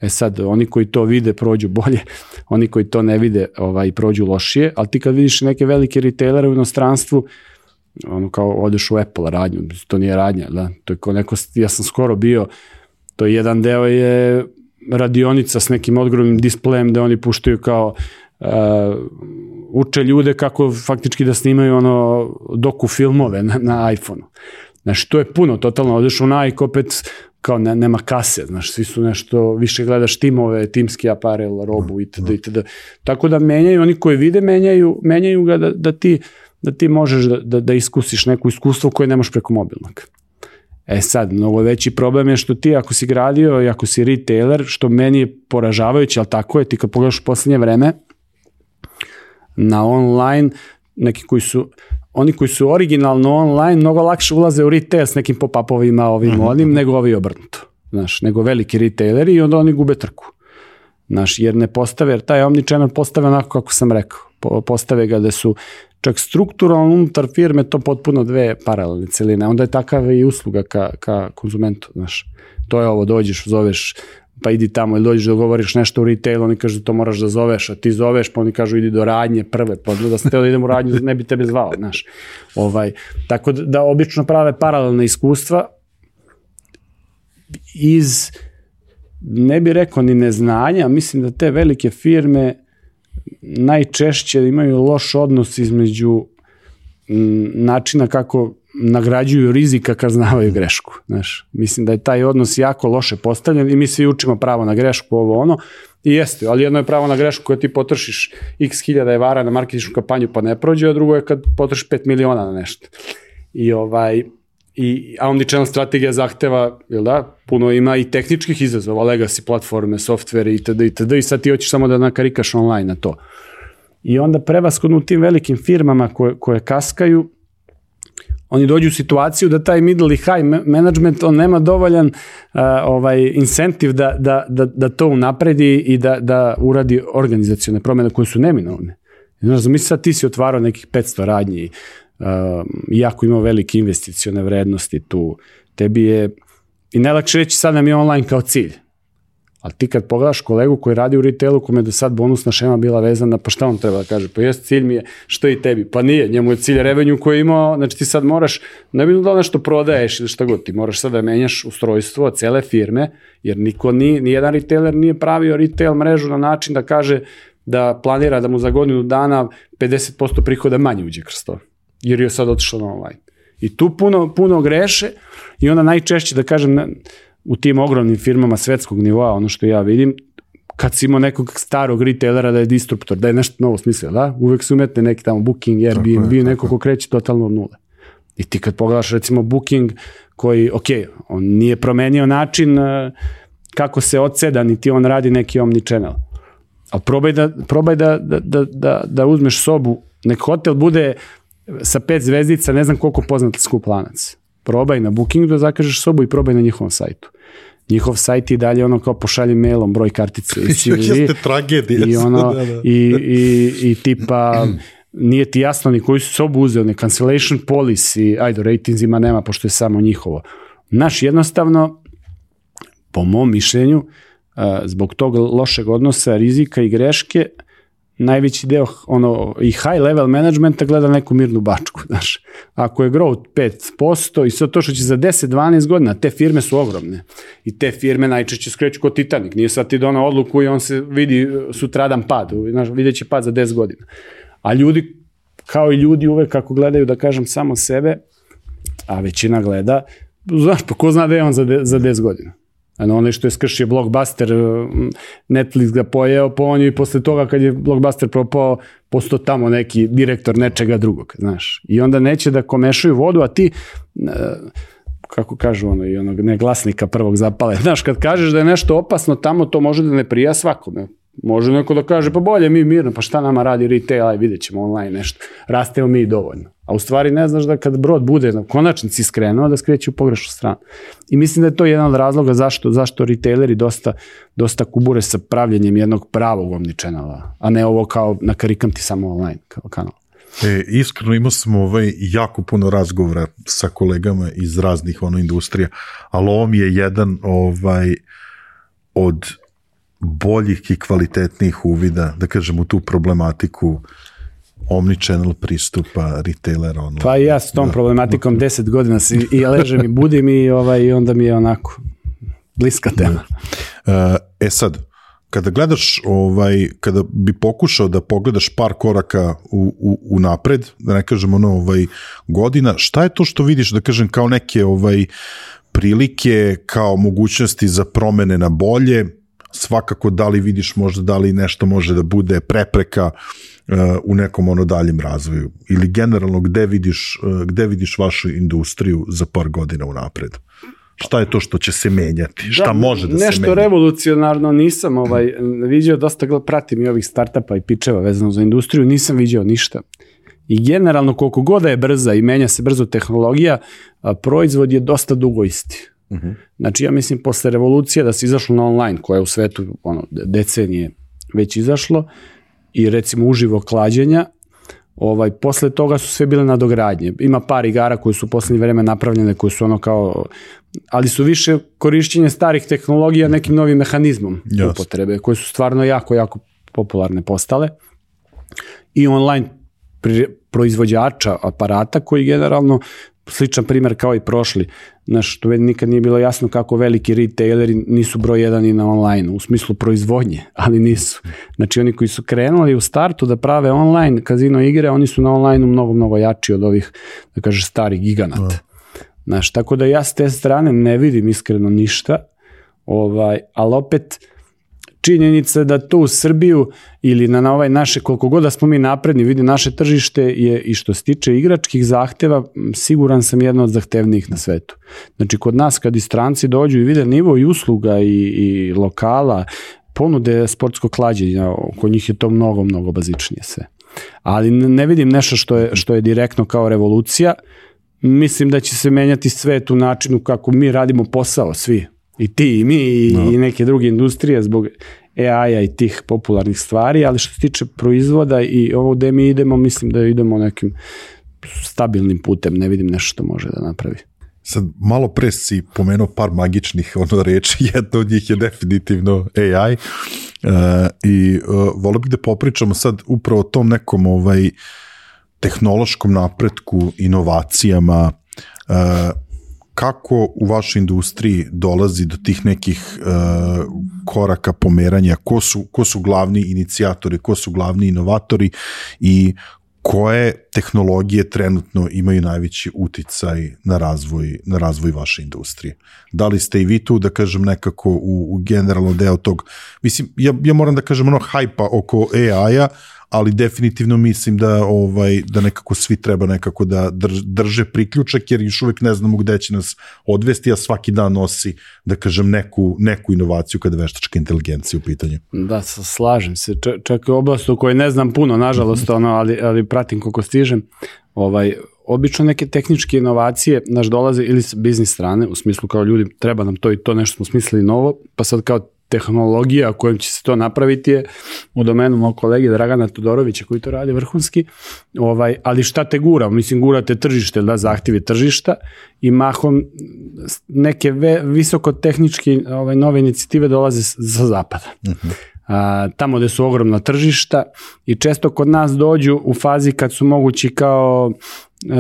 Speaker 1: Sad, oni koji to vide prođu bolje, oni koji to ne vide prođu lošije, ali ti kad vidiš neke velike retailere u inostranstvu, kao odeš u Apple radnju, to nije radnja, da? To je kao neko, ja sam skoro bio, to je jedan deo je radionica s nekim ogromnim displejem da oni puštaju kao uče ljude kako faktički da snimaju doku filmove na iPhone-u. Znači, to je puno, totalno, odeš u Nike, opet kao nema kase, znaš, svi su nešto, više gledaš timove, timski aparel, robu itd. Tako da menjaju, oni koji vide menjaju ga da ti možeš da iskusiš neko iskustvo koje nemaš preko mobilnog. Sad, mnogo veći problem je što ti ako si gradio i ako si retailer, što meni je poražavajuće, ali tako je, ti kad pogledaš u poslednje vreme, na online, oni koji su originalno online, mnogo lakše ulaze u retail s nekim pop-upovima, onim, nego ovi obrnuto. Znaš, nego veliki retaileri i onda oni gube trku. Znaš, jer taj omnichannel postave onako kako sam rekao. Postave ga da su čak strukturalno unutar firme to potpuno dve paralelne celine. Onda je takav i usluga ka konzumentu. Znaš, to je ovo, dođeš, zoveš, pa idi tamo ili dođeš da govoriš nešto u retailu, oni kažu da to moraš da zoveš, a ti zoveš, pa oni kažu idi do radnje prve, pa da sam teo da idem u radnju, ne bi tebe zvao, znaš. Tako da obično prave paralelne iskustva iz, ne bi rekao ni neznanja, mislim da te velike firme najčešće imaju loš odnos između načina kako nagrađuju rizika kad znavaju grešku. Znaš, mislim da je taj odnos jako loše postavljen i mi svi učimo pravo na grešku, i jeste, ali jedno je pravo na grešku koja ti potrošiš x hiljada evara na marketinšku kampanju pa ne prođe, a drugo je kad potrošiš 5 miliona na nešto. A omnichannel strategija zahteva, puno ima i tehničkih izazova, legacy platforme, softvere itd. I sad ti hoćeš samo da nakarikaš online na to. I onda prevashodno u tim velikim firmama koje kaskaju, oni dođu u situaciju da taj middle i high management, on nema dovoljan incentiv da to unapredi i da uradi organizacione promjene koje su neminovne. Znaš, zamisli sad ti si otvarao nekih 500 radnji, iako imao velike investicione vrednosti tu, tebi je, i najlakše reći sad nam je online kao cilj. Ali ti kad pogledaš kolegu koji radi u retailu, kome je do sad bonusna šema bila vezana, pa šta on treba da kaže? Pa jest, cilj mi je što i tebi. Pa nije, njemu je cilj revenue koji je imao, znači ti sad moraš, ne bi da nešto prodaješ ili šta god, ti moraš sad da menjaš ustrojstvo cele firme, jer nijedan retailer nije pravio retail mrežu na način da kaže da planira da mu za godinu dana 50% prihoda manje uđe kroz to, jer je sad otišao na online. I tu puno greše i onda najčešće, da kažem, u tim ogromnim firmama svetskog nivoa, ono što ja vidim, kad si imao nekog starog retailera da je disruptor, da je nešto novo smislio, da? Uvek su umetne neki tamo Booking, Airbnb, neko ko kreće totalno od nule. I ti kad pogledaš recimo Booking koji, on nije promenio način kako se odseda, niti on radi neki omnichannel. Ali probaj da uzmeš sobu, nek hotel bude sa 5 zvezdica, ne znam koliko poznat skup lanac. Probaj na Bookingu da zakažeš sobu i probaj na njihovom sajtu. Njihov sajt i dalje kao pošalji mailom broj kartice i CV.
Speaker 2: Jeste tragedija.
Speaker 1: I tipa nije ti jasno ni koju su sobu uzeo, ne cancellation policy, ratingsima nema pošto je samo njihovo. Znaš, jednostavno, po mom mišljenju, zbog tog lošeg odnosa, rizika i greške, najveći deo i high level managementa gleda neku mirnu bačku, znaš. Ako je growth 5% i sve to što će za 10-12 godina, te firme su ogromne i te firme najčešće skreću kod Titanic, nije sad ti donao odluku i on se vidi sutradan pad, znaš, vidjet će pad za 10 godina. A ljudi, kao i ljudi uvek kako gledaju, da kažem, samo sebe, a većina gleda, znaš, pa ko zna da je on za 10 godina. Ono što je skršio Blockbuster, Netflix ga pojeo po onju i posle toga kad je Blockbuster propao, postao tamo neki direktor nečega drugog, znaš. I onda neće da komešaju vodu, a ti, kako kažu i onog neglasnika prvog zapale, znaš, kad kažeš da je nešto opasno tamo, to može da ne prija svakome. Može neko da kaže, pa bolje mi mirno, pa šta nama radi retail, aj vidjet ćemo online nešto, rastemo mi dovoljno. A u stvari ne znaš da kad brod bude na konačnici skrenuo, da skreće u pogrešnu stranu. I mislim da je to jedan od razloga zašto retaileri dosta kubure sa pravljenjem jednog pravog omnichannela, a ne ovo kao nakarikam ti samo online kao kanal.
Speaker 2: Iskreno imao smo jako puno razgovora sa kolegama iz raznih industrija, ali ovo mi je jedan od boljih i kvalitetnijih uvida, da kažem, u tu problematiku omnichannel pristupa retailera online.
Speaker 1: Pa ja s tom problematikom 10 godina i ležem i budim i onda mi je onako bliska tema.
Speaker 2: Sad, kada gledaš, kada bi pokušao da pogledaš par koraka u napred, da ne kažem godina, šta je to što vidiš, da kažem, kao neke prilike, kao mogućnosti za promene na bolje, svakako da li vidiš možda da li nešto može da bude prepreka u nekom daljem razvoju, ili generalno gde vidiš vašu industriju za par godina unapred? Šta je to što će se menjati? Šta može da se menja?
Speaker 1: Nešto revolucionarno nisam vidio, dosta pratim i ovih startupa i pičeva vezano za industriju, nisam vidio ništa. I generalno koliko god je brza i menja se brzo tehnologija, proizvod je dosta dugo isti. Znači ja mislim posle revolucije da se izašlo na online, koja je u svetu decenije već izašlo, i recimo uživo klađenja, posle toga su sve bile nadogradnje. Ima par igara koje su u poslednje vreme napravljene, koje su ali su više korišćenje starih tehnologija nekim novim mehanizmom upotrebe, koje su stvarno jako, jako popularne postale. I online proizvođača aparata koji generalno sličan primjer kao i prošli. Što nikad nije bilo jasno kako veliki retaileri nisu broj jedan i na online, u smislu proizvodnje, ali nisu. Znači oni koji su krenuli u startu da prave online kazino igre, oni su na online mnogo, mnogo jači od ovih, da kaže, starih giganata. Tako da ja s te strane ne vidim iskreno ništa, ali opet činjenica da to u Srbiju ili na ovaj naše, koliko god da smo mi napredni, vidi naše tržište je, i što se tiče igračkih zahteva, siguran sam jedno od zahtevnijih na svetu. Znači kod nas kad i stranci dođu i vide nivo i usluga i lokala, ponude sportsko klađenja, kod njih je to mnogo, mnogo bazičnije sve. Ali ne vidim nešto što je direktno kao revolucija. Mislim da će se menjati svet u načinu kako mi radimo posao, svi. I ti i mi i neke druge industrije zbog AI-a i tih popularnih stvari, ali što se tiče proizvoda i ovo gde mi idemo, mislim da idemo nekim stabilnim putem, ne vidim nešto što može da napravi.
Speaker 2: Sad, malo pre si pomenuo par magičnih reči, jedna od njih je definitivno AI i volio bih da popričamo sad upravo o tom nekom tehnološkom napretku, inovacijama, kako u vašoj industriji dolazi do tih nekih koraka pomeranja, ko su glavni inicijatori, ko su glavni inovatori i koje tehnologije trenutno imaju najveći uticaj na razvoj vaše industrije. Da li ste i vi tu, da kažem, nekako u generalno deo tog, mislim, ja moram da kažem hajpa oko AI-a, ali definitivno mislim da nekako svi treba nekako da drže priključak, jer još uvijek ne znamo gde će nas odvesti, a svaki dan nosi, da kažem, neku inovaciju kada je veštačka inteligencija u pitanju.
Speaker 1: Da, slažem se. Čak i oblast u kojoj ne znam puno, nažalost, ali pratim koliko stižem. Obično neke tehničke inovacije dolaze ili s biznis strane, u smislu kao ljudi, treba nam to i to, nešto smo smislili novo, pa sad kao tehnologija kojom će se to napraviti je u domenu mog kolege Dragana Todorovića koji to radi vrhunski, ali šta te gura? Mislim, gura te tržište, zahtjevi tržišta i mahom neke visokotehničke nove inicijative dolaze sa zapada. Tamo gde su ogromna tržišta i često kod nas dođu u fazi kad su mogući kao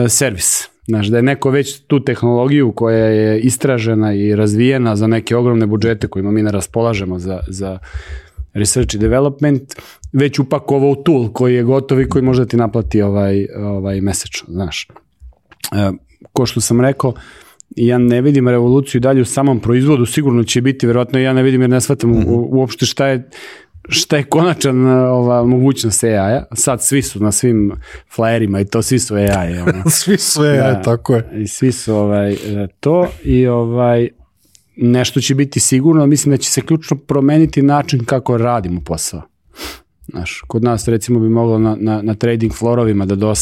Speaker 1: servis. Znaš, da je neko već tu tehnologiju koja je istražena i razvijena za neke ogromne budžete kojima mi ne raspolažemo za research i development, već upakovao u tool koji je gotov i koji može da ti naplati mesečno, znaš. Ko što sam rekao, ja ne vidim revoluciju dalje u samom proizvodu, sigurno će biti, verovatno ja ne vidim jer ne shvatam uopšte šta je konačan mogućnost AI-a. Sad svi su na svim flyerima i to svi su AI.
Speaker 2: Svi su AI, tako je.
Speaker 1: I svi su to i nešto će biti sigurno, mislim da će se ključno promeniti način kako radimo posao. Znaš, kod nas recimo bi moglo na trading florovima da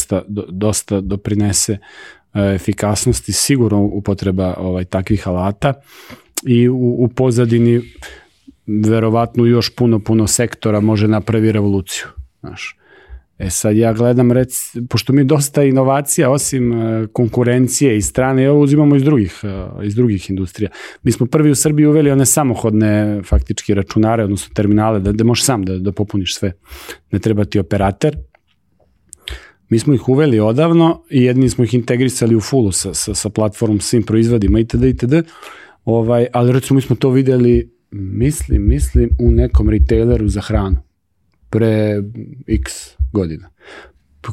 Speaker 1: dosta doprinese efikasnosti, sigurno upotreba takvih alata i u pozadini verovatno još puno sektora može napravi revoluciju. Znaš. Sad ja gledam, pošto mi dosta inovacija, osim konkurencije i strane, ovo uzimamo iz drugih industrija. Mi smo prvi u Srbiji uveli one samohodne faktički računare, odnosno terminale, da možeš sam da popuniš sve. Ne treba ti operater. Mi smo ih uveli odavno i jedni smo ih integrisali u fullu sa platformom, svim proizvodima itd. Ali recimo mi smo to videli, mislim u nekom retaileru za hranu pre x godina.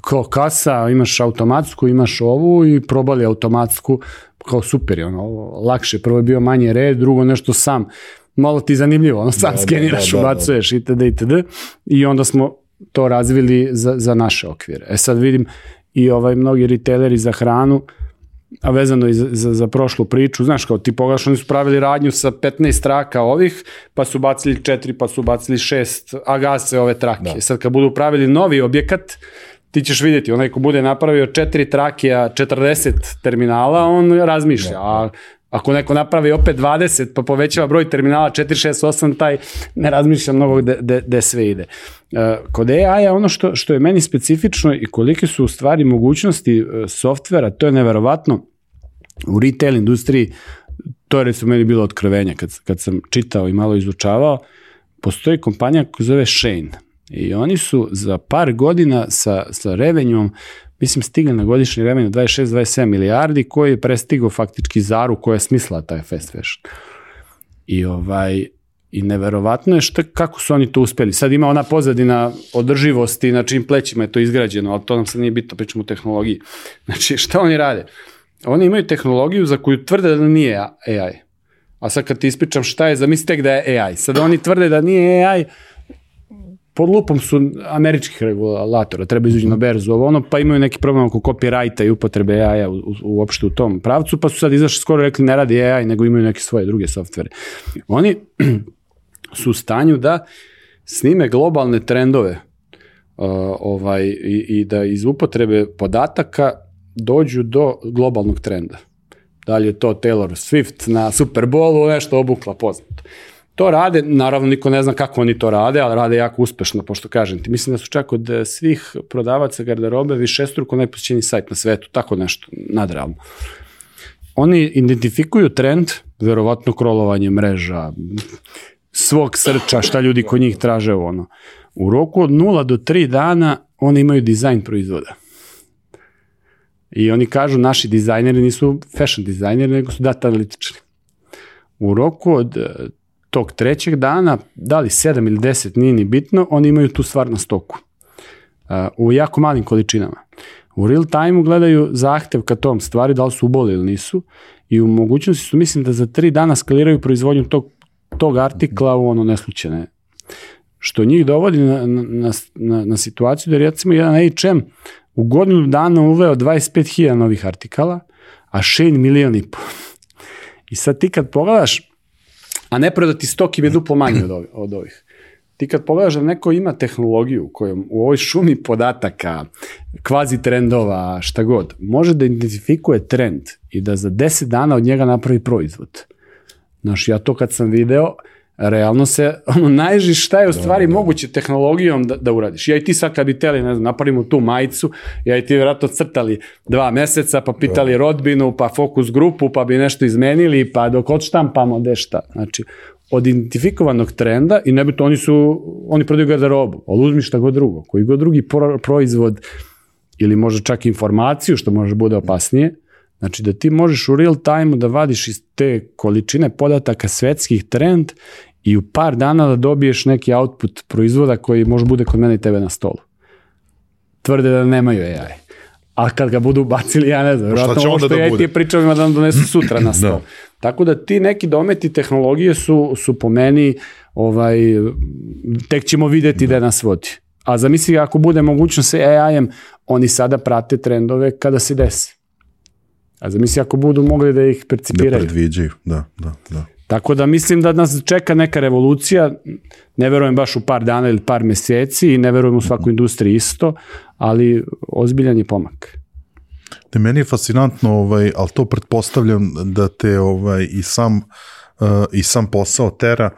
Speaker 1: Kao kasa, imaš automatsku, imaš ovu i probali automatsku, kao super je, lakše. Prvo je bio manje red, drugo nešto sam. Malo ti zanimljivo, sam skeniraš, ubacuješ itd. I onda smo to razvili za naše okvire. Sad vidim i mnogi retaileri za hranu, a vezano i za prošlu priču, znaš, kao ti pogledaš, oni su pravili radnju sa 15 traka ovih, pa su bacili 4, pa su bacili 6, a gase ove trake. Sad kad budu pravili novi objekat, ti ćeš vidjeti, onaj ko bude napravio 4 trake, a 40 terminala, on razmišlja, a ako neko napravi opet 20, pa povećava broj terminala 4, 6, 8, taj ne razmišlja mnogo gde sve ide. Kod AI-a ono što je meni specifično i kolike su u stvari mogućnosti softvera, to je neverovatno. U retail industriji, to je recimo meni bilo otkrivenje kad sam čitao i malo izučavao, postoji kompanija koja zove Shane i oni su za par godina sa revenjom, mislim, stigli na godišnji revenju 26-27 milijardi, koji je prestigao faktički Zaru koja je smislila taj fast fashion. I neverovatno je kako su oni to uspeli. Sad ima ona pozadina održivosti, na čim plećima je to izgrađeno, ali to nam sad nije bitno, pričamo o tehnologiji. Znači, šta oni rade? Oni imaju tehnologiju za koju tvrde da nije AI. A sad kad ti ispričam šta je, zamisli tek da je AI. Sad oni tvrde da nije AI, pod lupom su američkih regulatora, treba izući na berzu, pa imaju neki problem oko copyrighta i upotrebe AI-a uopšte u tom pravcu, pa su sad izašli skoro rekli ne radi AI, nego imaju neke svoje druge softvere. Oni su u stanju da snime globalne trendove i da iz upotrebe podataka dođu do globalnog trenda. Da li je to Taylor Swift na Super Bowlu, nešto obukla poznato. To rade, naravno niko ne zna kako oni to rade, ali rade jako uspešno, pošto kažem ti, mislim da su čak od svih prodavaca garderobe višestruko najposjećeniji sajt na svetu, tako nešto nadrealno. Oni identifikuju trend, verovatno krolovanje mreža, svog srča, šta ljudi kod njih traže u roku od 0 do 3 dana oni imaju dizajn proizvoda. I oni kažu, naši dizajneri nisu fashion dizajneri, nego su data analitičari. U roku od tog 3. dana, da li 7 ili 10, nije ni bitno, oni imaju tu stvar na stoku. U jako malim količinama. U real time-u gledaju zahtev ka tom stvari, da li su uboli ili nisu, i u mogućnosti su, mislim, da za 3 dana skaliraju proizvodnju tog artikla u neslučajne. Što njih dovodi na situaciju da recimo jedan H&M u godinu dana uveo 25.000 novih artikala, a Shane 1,5 miliona. I sad ti kad pogledaš, a ne prodati stok im je duplo manje od ovih. Ti kad pogledaš da neko ima tehnologiju kojom u ovoj šumi podataka, kvazi trendova, šta god, može da identifikuje trend i da za 10 dana od njega napravi proizvod. Znaš, ja to kad sam video, realno se najžiš šta je u stvari moguće tehnologijom da uradiš. Ja i ti sad kad bi teli, ne znam, napravimo tu majicu, ja i ti vjerojatno crtali 2 meseca, pa pitali rodbinu, pa fokus grupu, pa bi nešto izmenili, pa dok odštampamo dešta. Znači, od identifikovanog trenda, i ne bi to, oni prodaju garderobu, ali uzmi šta god drugo, koji god drugi proizvod, ili možda čak informaciju, što može bude opasnije, znači da ti možeš u real time da vadiš iz te količine podataka svetskih trend i u par dana da dobiješ neki output proizvoda koji može bude kod mene i tebe na stolu. Tvrde da nemaju AI. A kad ga budu bacili, ja ne znam, vjerojatno ovo što ja i ti pričam ima da nam donesu sutra na stol. Tako da ti neki dometi tehnologije su po meni, tek ćemo videti da nas vodi. A zamisli ako bude mogućnost sa AI-em, oni sada prate trendove kada se desi. A zamisli ako budu mogli da ih percipiraju.
Speaker 2: Da predviđaju, da.
Speaker 1: Tako da mislim da nas čeka neka revolucija, ne verujem baš u par dana ili par meseci i ne verujem u svaku industriju isto, ali ozbiljan je pomak.
Speaker 2: Meni je fascinantno, ali to pretpostavljam da te i sam posao tera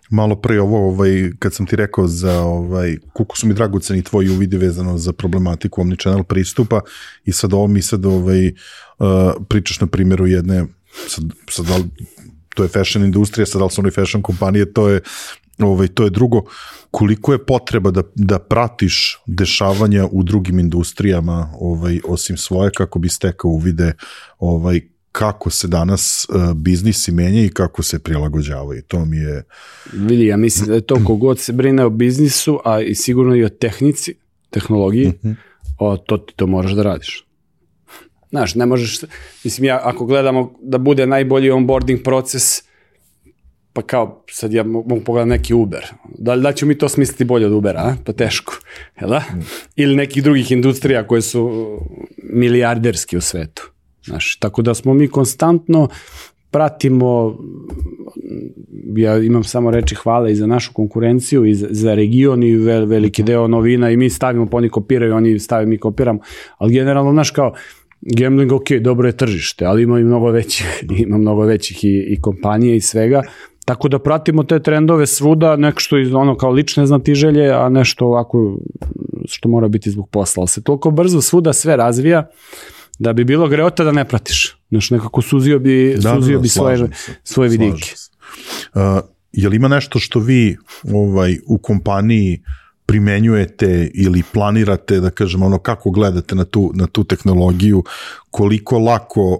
Speaker 2: malo pre ovo, kad sam ti rekao za koliko su mi dragoceni tvoji uvidi vezano za problematiku omnichannel pristupa i sad pričaš na primjeru jedne, sad to je fashion industrija, sad da li su oni fashion kompanije, to je drugo. Koliko je potreba da pratiš dešavanja u drugim industrijama osim svoje, kako bi stekao uvide kako se danas biznisi menja i kako se prilagođavaju. To mi je...
Speaker 1: Vidi, ja mislim da je to kogod se brine o biznisu, a i sigurno i o tehnici, tehnologiji, to moraš da radiš. Znaš, ne možeš, mislim, ako gledamo da bude najbolji onboarding proces, pa kao, sad ja mogu pogledati neki Uber. Da ćemo mi to smisliti bolje od Ubera, pa teško, jel da? Ili nekih drugih industrija koje su milijarderski u svetu. Znaš, tako da smo mi konstantno pratimo, ja imam samo reči hvale i za našu konkurenciju i za region i veliki deo novina i mi stavimo, pa oni kopiraju, oni stavimo, mi kopiramo, ali generalno, znaš, kao gambling, ok, dobro je tržište, ali ima mnogo većih i kompanije i svega, tako da pratimo te trendove svuda, nešto iz kao lične znatiželje, a nešto ovako što mora biti zbog posla, ali se toliko brzo svuda sve razvija da bi bilo greota da ne pratiš. Znaš, nekako suzio bi svoje vidike.
Speaker 2: Je li ima nešto što vi u kompaniji primenjujete ili planirate, da kažem, kako gledate na tu tehnologiju, koliko lako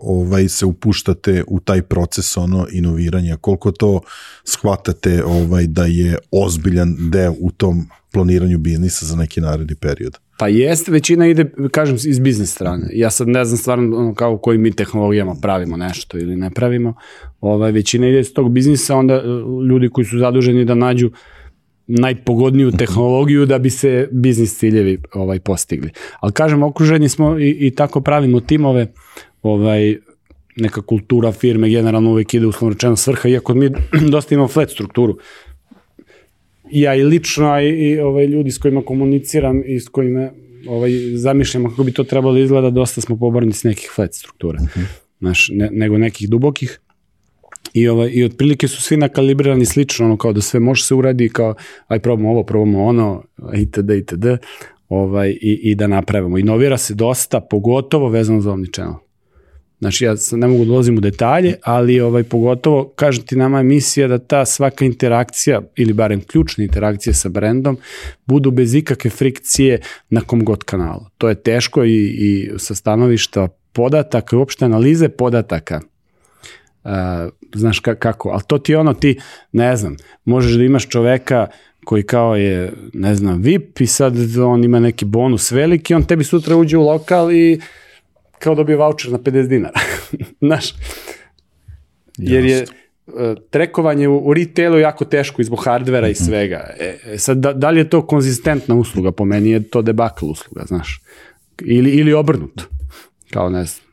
Speaker 2: se upuštate u taj proces inoviranja, koliko to shvatate da je ozbiljan deo u tom planiranju biznisa za neki naredni period?
Speaker 1: Pa jeste, većina ide, kažem, iz biznis strane. Ja sad ne znam stvarno kao kojim mi tehnologijama pravimo nešto ili ne pravimo. Većina ide iz tog biznisa, onda ljudi koji su zaduženi da nađu najpogodniju tehnologiju da bi se biznis ciljevi postigli. Ali kažem, okruženi smo i tako pravimo timove, neka kultura firme generalno uvek ide uslovno rečeno svrha, iako mi dosta imamo flat strukturu. Ja i lično, a i ljudi s kojima komuniciram i s kojima zamišljamo kako bi to trebalo izgleda, dosta smo poborni s nekih flat struktura, nego nekih dubokih. I otprilike su svi nakalibrirani slično, kao da sve može se uradi, kao aj probamo ono, itd. I da napravimo. Inovira se dosta, pogotovo vezano za omnichannel. Znači, ja ne mogu da ulazim u detalje, ali pogotovo, kažem ti, nama je misija da ta svaka interakcija, ili barem ključna interakcija sa brendom, budu bez ikakve frikcije na kom god kanalu. To je teško i sa stanovišta podataka, uopšte analize podataka. Znaš kako, ali to ti ti, ne znam, možeš da imaš čoveka koji kao je, ne znam, VIP i sad on ima neki bonus veliki, on tebi sutra uđe u lokal i kao dobije voucher na 50 dinara. Znaš, jer je trekovanje u retailu jako teško i zbog hardvera i svega. Sad, da li je to konzistentna usluga? Po meni je to debakl usluga, znaš. Ili obrnuto. Kao, ne znam,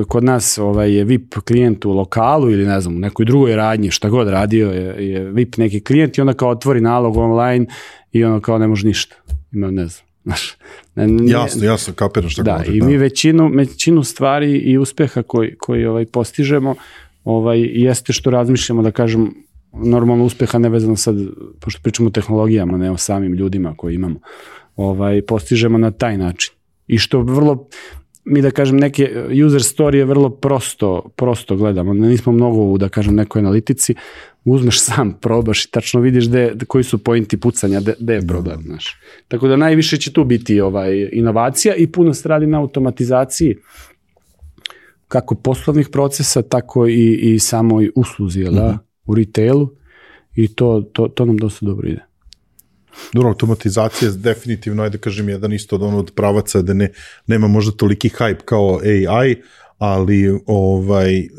Speaker 1: kod nas je VIP klijent u lokalu ili ne znam, u nekoj drugoj radnji, šta god radio je VIP neki klijent i onda kao otvori nalog online i ono kao ne može ništa. Ima, ne znam.
Speaker 2: Jasno, kapiram šta
Speaker 1: da, i mi većinu stvari i uspeha koji postižemo jeste što razmišljamo, da kažem, normalno uspeha nevezano sad, pošto pričamo o tehnologijama, ne o samim ljudima koji imamo, postižemo na taj način. I što vrlo, mi da kažem, neke user story je vrlo prosto gledamo, nismo mnogo u, da kažem, nekoj analitici, uzmeš sam, probaš i tačno vidiš koji su pointi pucanja, gde je problem, znaš. Tako da najviše će tu biti inovacija i puno se radi na automatizaciji kako poslovnih procesa, tako i samoj usluzi, u retailu, i to nam dosta dobro ide.
Speaker 2: Dobro, automatizacija je definitivno, ajde kažem, jedan isto od pravaca da nema možda toliki hype kao AI, ali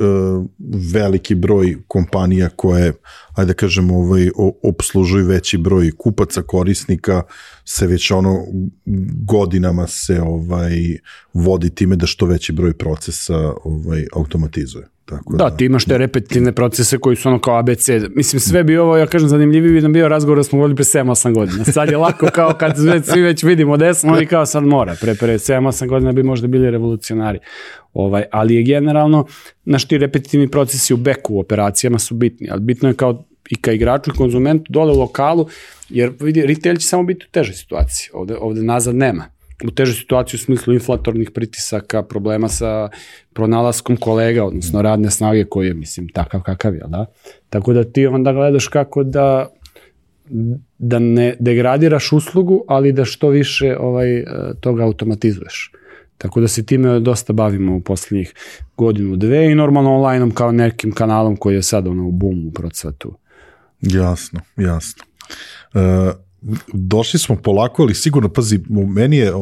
Speaker 2: veliki broj kompanija koje, ajde kažem, obslužuju veći broj kupaca, korisnika, se već godinama se vodi time da što veći broj procesa automatizuje. Tako
Speaker 1: da, ti imaš te repetitivne procese koji su kao ABC. Mislim, sve bi ovo, ja kažem, zanimljiviji bi nam bio razgovor da smo vodili pre 7-8 godina. Sad je lako kao kad svi već vidimo da smo i kao sad mora. Pre 7-8 godina bi možda bili revolucionari. Ali je generalno, ti repetitivni procesi u beku, u operacijama su bitni, ali bitno je kao i ka igraču i konzumentu dole u lokalu, jer vidi, retail će samo biti u težoj situaciji, ovde nazad nema. U težoj situaciji u smislu inflatornih pritisaka, problema sa pronalaskom kolega, odnosno radne snage koji je, mislim, takav kakav je, da? Tako da ti onda gledaš kako da ne degradiraš uslugu, ali da što više toga automatizuješ. Tako da se time dosta bavimo u poslednjih godinu, dve i normalno online-om kao nekim kanalom koji je sad u boomu u procvatu.
Speaker 2: Jasno. Došli smo polako, ali sigurno, pazi, meni je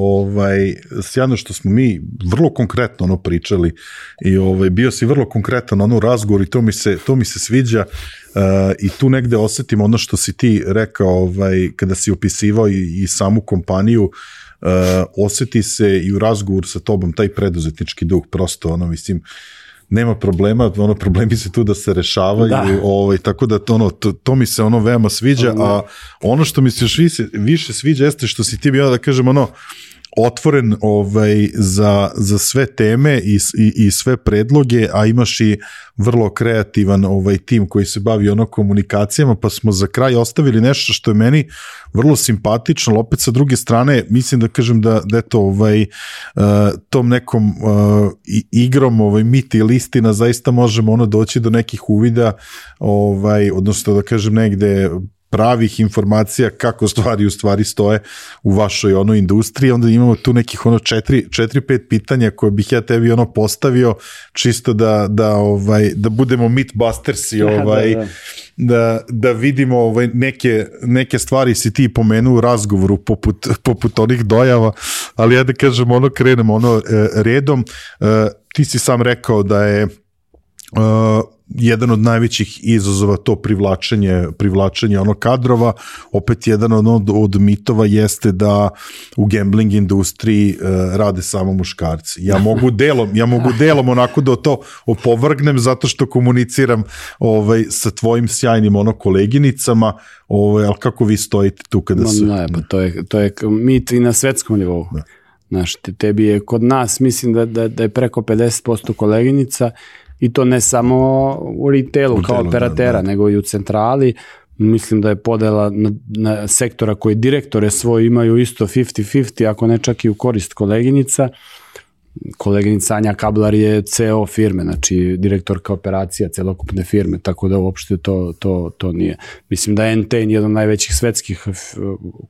Speaker 2: sjajno što smo mi vrlo konkretno pričali i bio si vrlo konkretan na razgovor i to mi se sviđa i tu negde osetim ono što si ti rekao kada si opisivao i samu kompaniju, oseti se i u razgovoru sa tobom taj preduzetnički duh, prosto mislim, nema problema, problemi se tu da se rešavaju, tako da to mi se veoma sviđa, a ono što mi se još više sviđa jeste što si ti bio, da kažem, otvoren za sve teme i sve predloge, a imaš i vrlo kreativan tim koji se bavi komunikacijama, pa smo za kraj ostavili nešto što je meni vrlo simpatično, ali opet sa druge strane mislim da kažem da eto tom nekom igrom miti ili istina zaista možemo doći do nekih uvida, odnosno da kažem negde pravih informacija kako stvari u stvari stoje u vašoj industriji. Onda imamo tu nekih 4-5 pitanja koje bih ja tebi postavio čisto da budemo mythbustersi, da vidimo neke stvari si ti pomenuo u razgovoru poput onih dojava, ali ja da kažem krenemo redom. Ti si sam rekao da je jedan od najvećih izazova to privlačenje kadrova, opet jedan od mitova jeste da u gambling industriji rade samo muškarci. Ja mogu delom onako da to opovrgnem zato što komuniciram sa tvojim sjajnim koleginicama, ali kako vi stojite tu kada se...
Speaker 1: To je mit i na svetskom nivou. Znaš, tebi je kod nas, mislim da je preko 50% koleginica, i to ne samo u retailu kao operatera, nego i u centrali. Mislim da je podela na sektora koji direktore svoje imaju isto 50-50, ako ne čak i u korist koleginica. Koleginica Anja Kablar je CEO firme, znači direktorka operacija celokupne firme, tako da uopšte to nije. Mislim da je Entain jedan od najvećih svetskih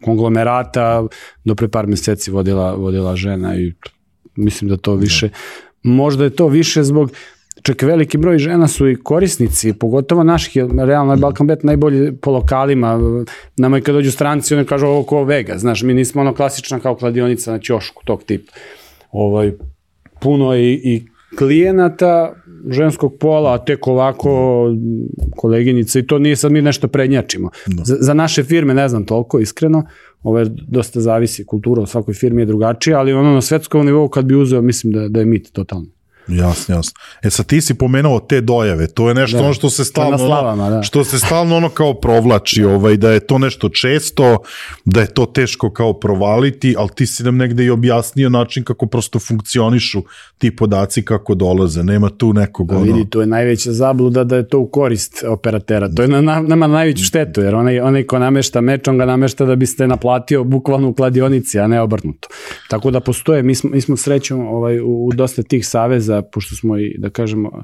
Speaker 1: konglomerata, do pre par meseci vodila žena i mislim da to više, možda je to više zbog čak veliki broj žena su i korisnici, pogotovo naših, realno je Balkan Bet najbolji po lokalima, nama i kad dođu stranci, oni kažu ovo ko Vega, znaš, mi nismo klasična kao kladionica na ćošku, tog tipa. Puno je i klijenata ženskog pola, a tek ovako koleginica, i to nije sad mi nešto prednjačimo. Za naše firme ne znam toliko, iskreno, dosta zavisi, kultura u svakoj firmi je drugačija, ali na svetskom nivou kad bi uzeo, mislim da je mit totalno.
Speaker 2: Jasno. Sad ti si pomenuo te dojave, to je nešto što se stalno kao provlači, da je to nešto često, da je to teško kao provaliti, ali ti si nam negde i objasnio način kako prosto funkcionišu ti podaci, kako dolaze, nema tu nekog
Speaker 1: Vidi, to je najveća zabluda da je to u korist operatera, to je nama najveću štetu, jer onaj ko namešta meč, on ga namešta da biste naplatio bukvalno u kladionici, a ne obrnuto. Tako da postoje, mi smo srećom u dosta tih saveza, pošto smo i, da kažemo,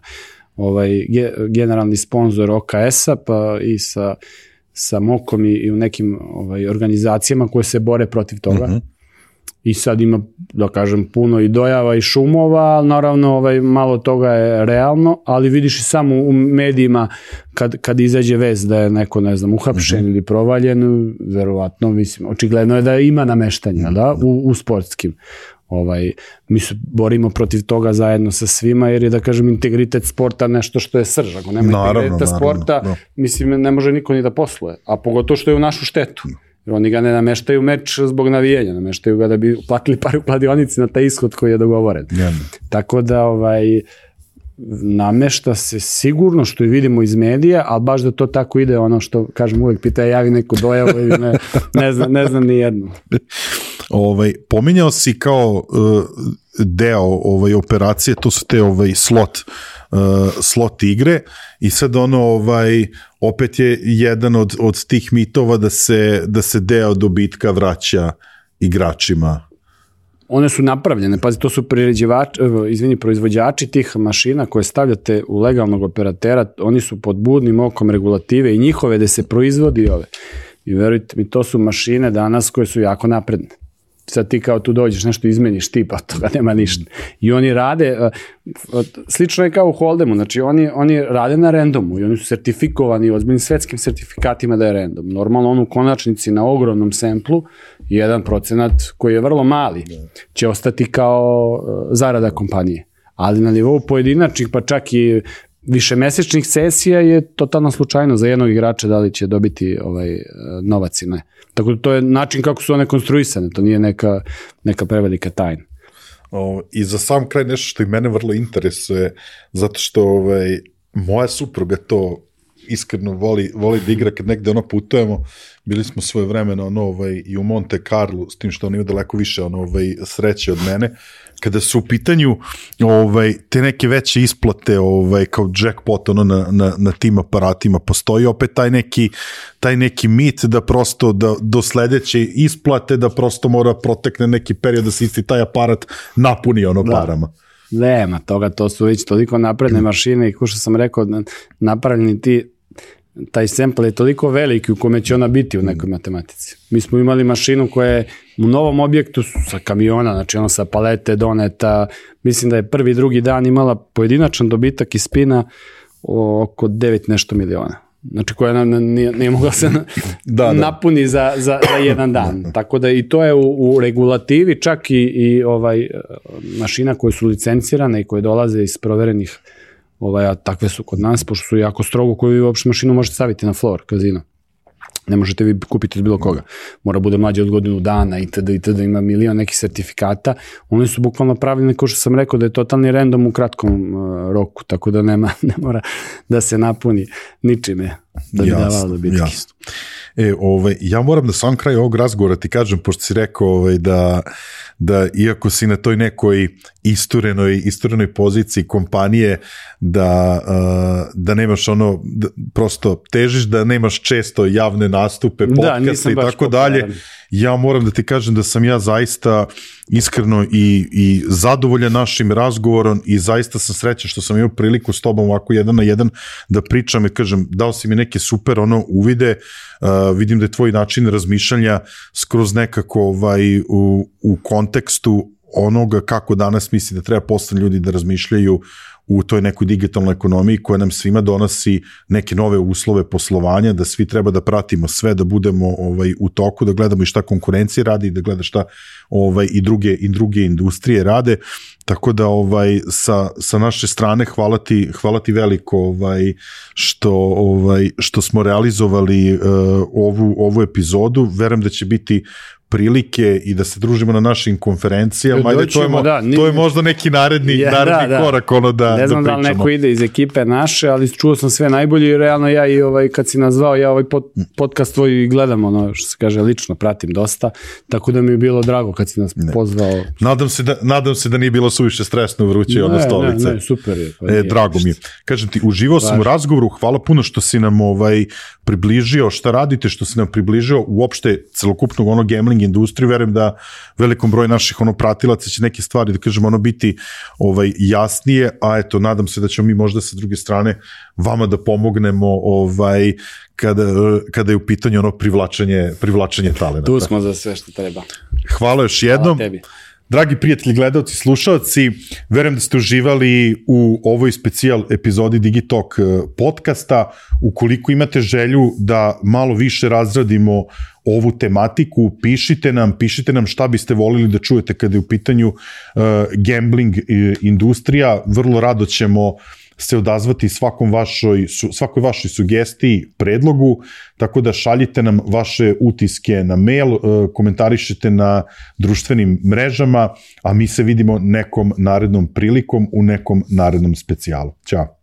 Speaker 1: generalni sponsor OKS-a, pa i sa MOK-om i u nekim organizacijama koje se bore protiv toga. I sad ima, da kažem, puno i dojava i šumova, ali naravno malo toga je realno, ali vidiš i samo u medijima kad izađe vest da je neko, ne znam, uhapšen ili provaljen, verovatno, mislim, očigledno je da ima nameštanja, u sportskim. Mi se borimo protiv toga zajedno sa svima, jer je, da kažem, integritet sporta nešto što je srž. Ako nema integriteta sporta, mislim, ne može niko ni da posluje, a pogotovo što je u našu štetu. Jer oni ga ne nameštaju meč zbog navijenja, nameštaju ga da bi platili par u kladionici na taj ishod koji je dogovoren. Tako da namešta se sigurno, što i vidimo iz medija, ali baš da to tako ide, ono što, kažem, uvek pita javi neku dojavu ili ne znam ni jednu.
Speaker 2: Pominjao si kao deo operacije, to su te slot igre i sad opet je jedan od tih mitova da se deo dobitka vraća igračima.
Speaker 1: One su napravljene, pazi, to su proizvođači tih mašina koje stavljate u legalnog operatera, oni su pod budnim okom regulative i njihove da se proizvodi ove. I verujte mi, to su mašine danas koje su jako napredne. Sad ti kao tu dođeš, nešto izmeniš tipa, toga nema ništa. I oni rade, slično je kao u Holdemu, znači oni rade na randomu i oni su sertifikovani ozbiljnim svetskim sertifikatima da je random. Normalno on u konačnici na ogromnom semplu, 1% koji je vrlo mali, će ostati kao zarada kompanije. Ali na nivou pojedinačnih, pa čak i višemesečnih sesija je totalno slučajno za jednog igrača da li će dobiti novac ili ne. Tako da to je način kako su one konstruisane, to nije neka prevelika tajna.
Speaker 2: I za sam kraj nešto što i mene vrlo interesuje, zato što moja supruga to iskreno voli da igra kad negde putujemo. Bili smo svoje vremena i u Monte Carlo, s tim što on ima daleko više sreće od mene. Kada su u pitanju te neke veće isplate kao jackpot na tim aparatima, postoji opet taj neki mit da prosto do sledeće isplate da prosto mora protekne neki period da se isti taj aparat napuni parama.
Speaker 1: Nema toga, to su već toliko napredne mašine i kao što sam rekao, napravljeni taj sample je toliko veliki u kome će ona biti u nekoj matematici. Mi smo imali mašinu koja je u novom objektu sa kamiona, znači ona sa palete doneta, mislim da je prvi, drugi dan imala pojedinačan dobitak iz spina oko 9 nešto miliona. Znači koja nije mogla se napuni za jedan dan. Tako da i to je u regulativi, čak i mašina koje su licencirane i koje dolaze iz proverenih, a takve su kod nas, pošto su jako strogo, koju vi uopšte mašinu možete staviti na floor kazino. Ne možete vi kupiti od bilo koga. Mora bude mlađe od godinu dana itd. Ima milion nekih sertifikata. Oni su bukvalno pravljeni, kao što sam rekao, da je totalni random u kratkom roku, tako da ne mora da se napuni ničime da bi davalo dobitke.
Speaker 2: Jasno. Ja moram na sam kraju ovog razgovora ti kažem, pošto si rekao da iako si na toj nekoj isturenoj poziciji kompanije, da nemaš prosto težiš da nemaš često javne nastupe, podcaste i tako dalje. Ja moram da ti kažem da sam ja zaista iskreno i zadovoljan našim razgovorom i zaista sam srećan što sam imao priliku s tobom ovako 1 na 1 da pričam i kažem, dao si mi neke super uvide, vidim da je tvoj način razmišljanja skroz nekako u kontekstu onoga kako danas misli da treba postane ljudi da razmišljaju u toj nekoj digitalnoj ekonomiji koja nam svima donosi neke nove uslove poslovanja, da svi treba da pratimo sve, da budemo u toku, da gledamo i šta konkurencija radi, da gleda šta i druge industrije rade, tako da sa naše strane hvala ti veliko što smo realizovali ovu epizodu, verujem da će biti prilike i da se družimo na našim konferencijama, ajde, to je možda neki naredni korak da pričamo.
Speaker 1: Ne znam da li neko ide iz ekipe naše, ali čuo sam sve najbolje i realno ja i kad si nazvao, ja podcast tvoj gledam, što se kaže, lično pratim dosta, tako da mi je bilo drago kad si nas pozvao.
Speaker 2: Nadam se da nije bilo suviše stresno vruće stolice.
Speaker 1: Ne, super je.
Speaker 2: Drago mi je. Kažem ti, uživao sam u razgovoru, hvala puno što si nam približio šta radite, što si nam približio uopšte celokupnog gambling industriju, verujem da velikom broj naših pratilaca će neke stvari, da kažemo, biti jasnije, a eto, nadam se da ćemo mi možda sa druge strane vama da pomognemo kada je u pitanju privlačenje talenta.
Speaker 1: Tu smo za sve što treba.
Speaker 2: Hvala još jednom. Hvala tebi. Dragi prijatelji, gledalci, slušalci, verujem da ste uživali u ovoj specijal epizodi Digitalk podcasta. Ukoliko imate želju da malo više razradimo ovu tematiku, pišite nam šta biste volili da čujete kada je u pitanju gambling industrija. Vrlo rado ćemo se odazvati svakoj vašoj sugestiji, predlogu, tako da šaljite nam vaše utiske na mail, komentarišite na društvenim mrežama, a mi se vidimo nekom narednom prilikom u nekom narednom specijalu. Ćao!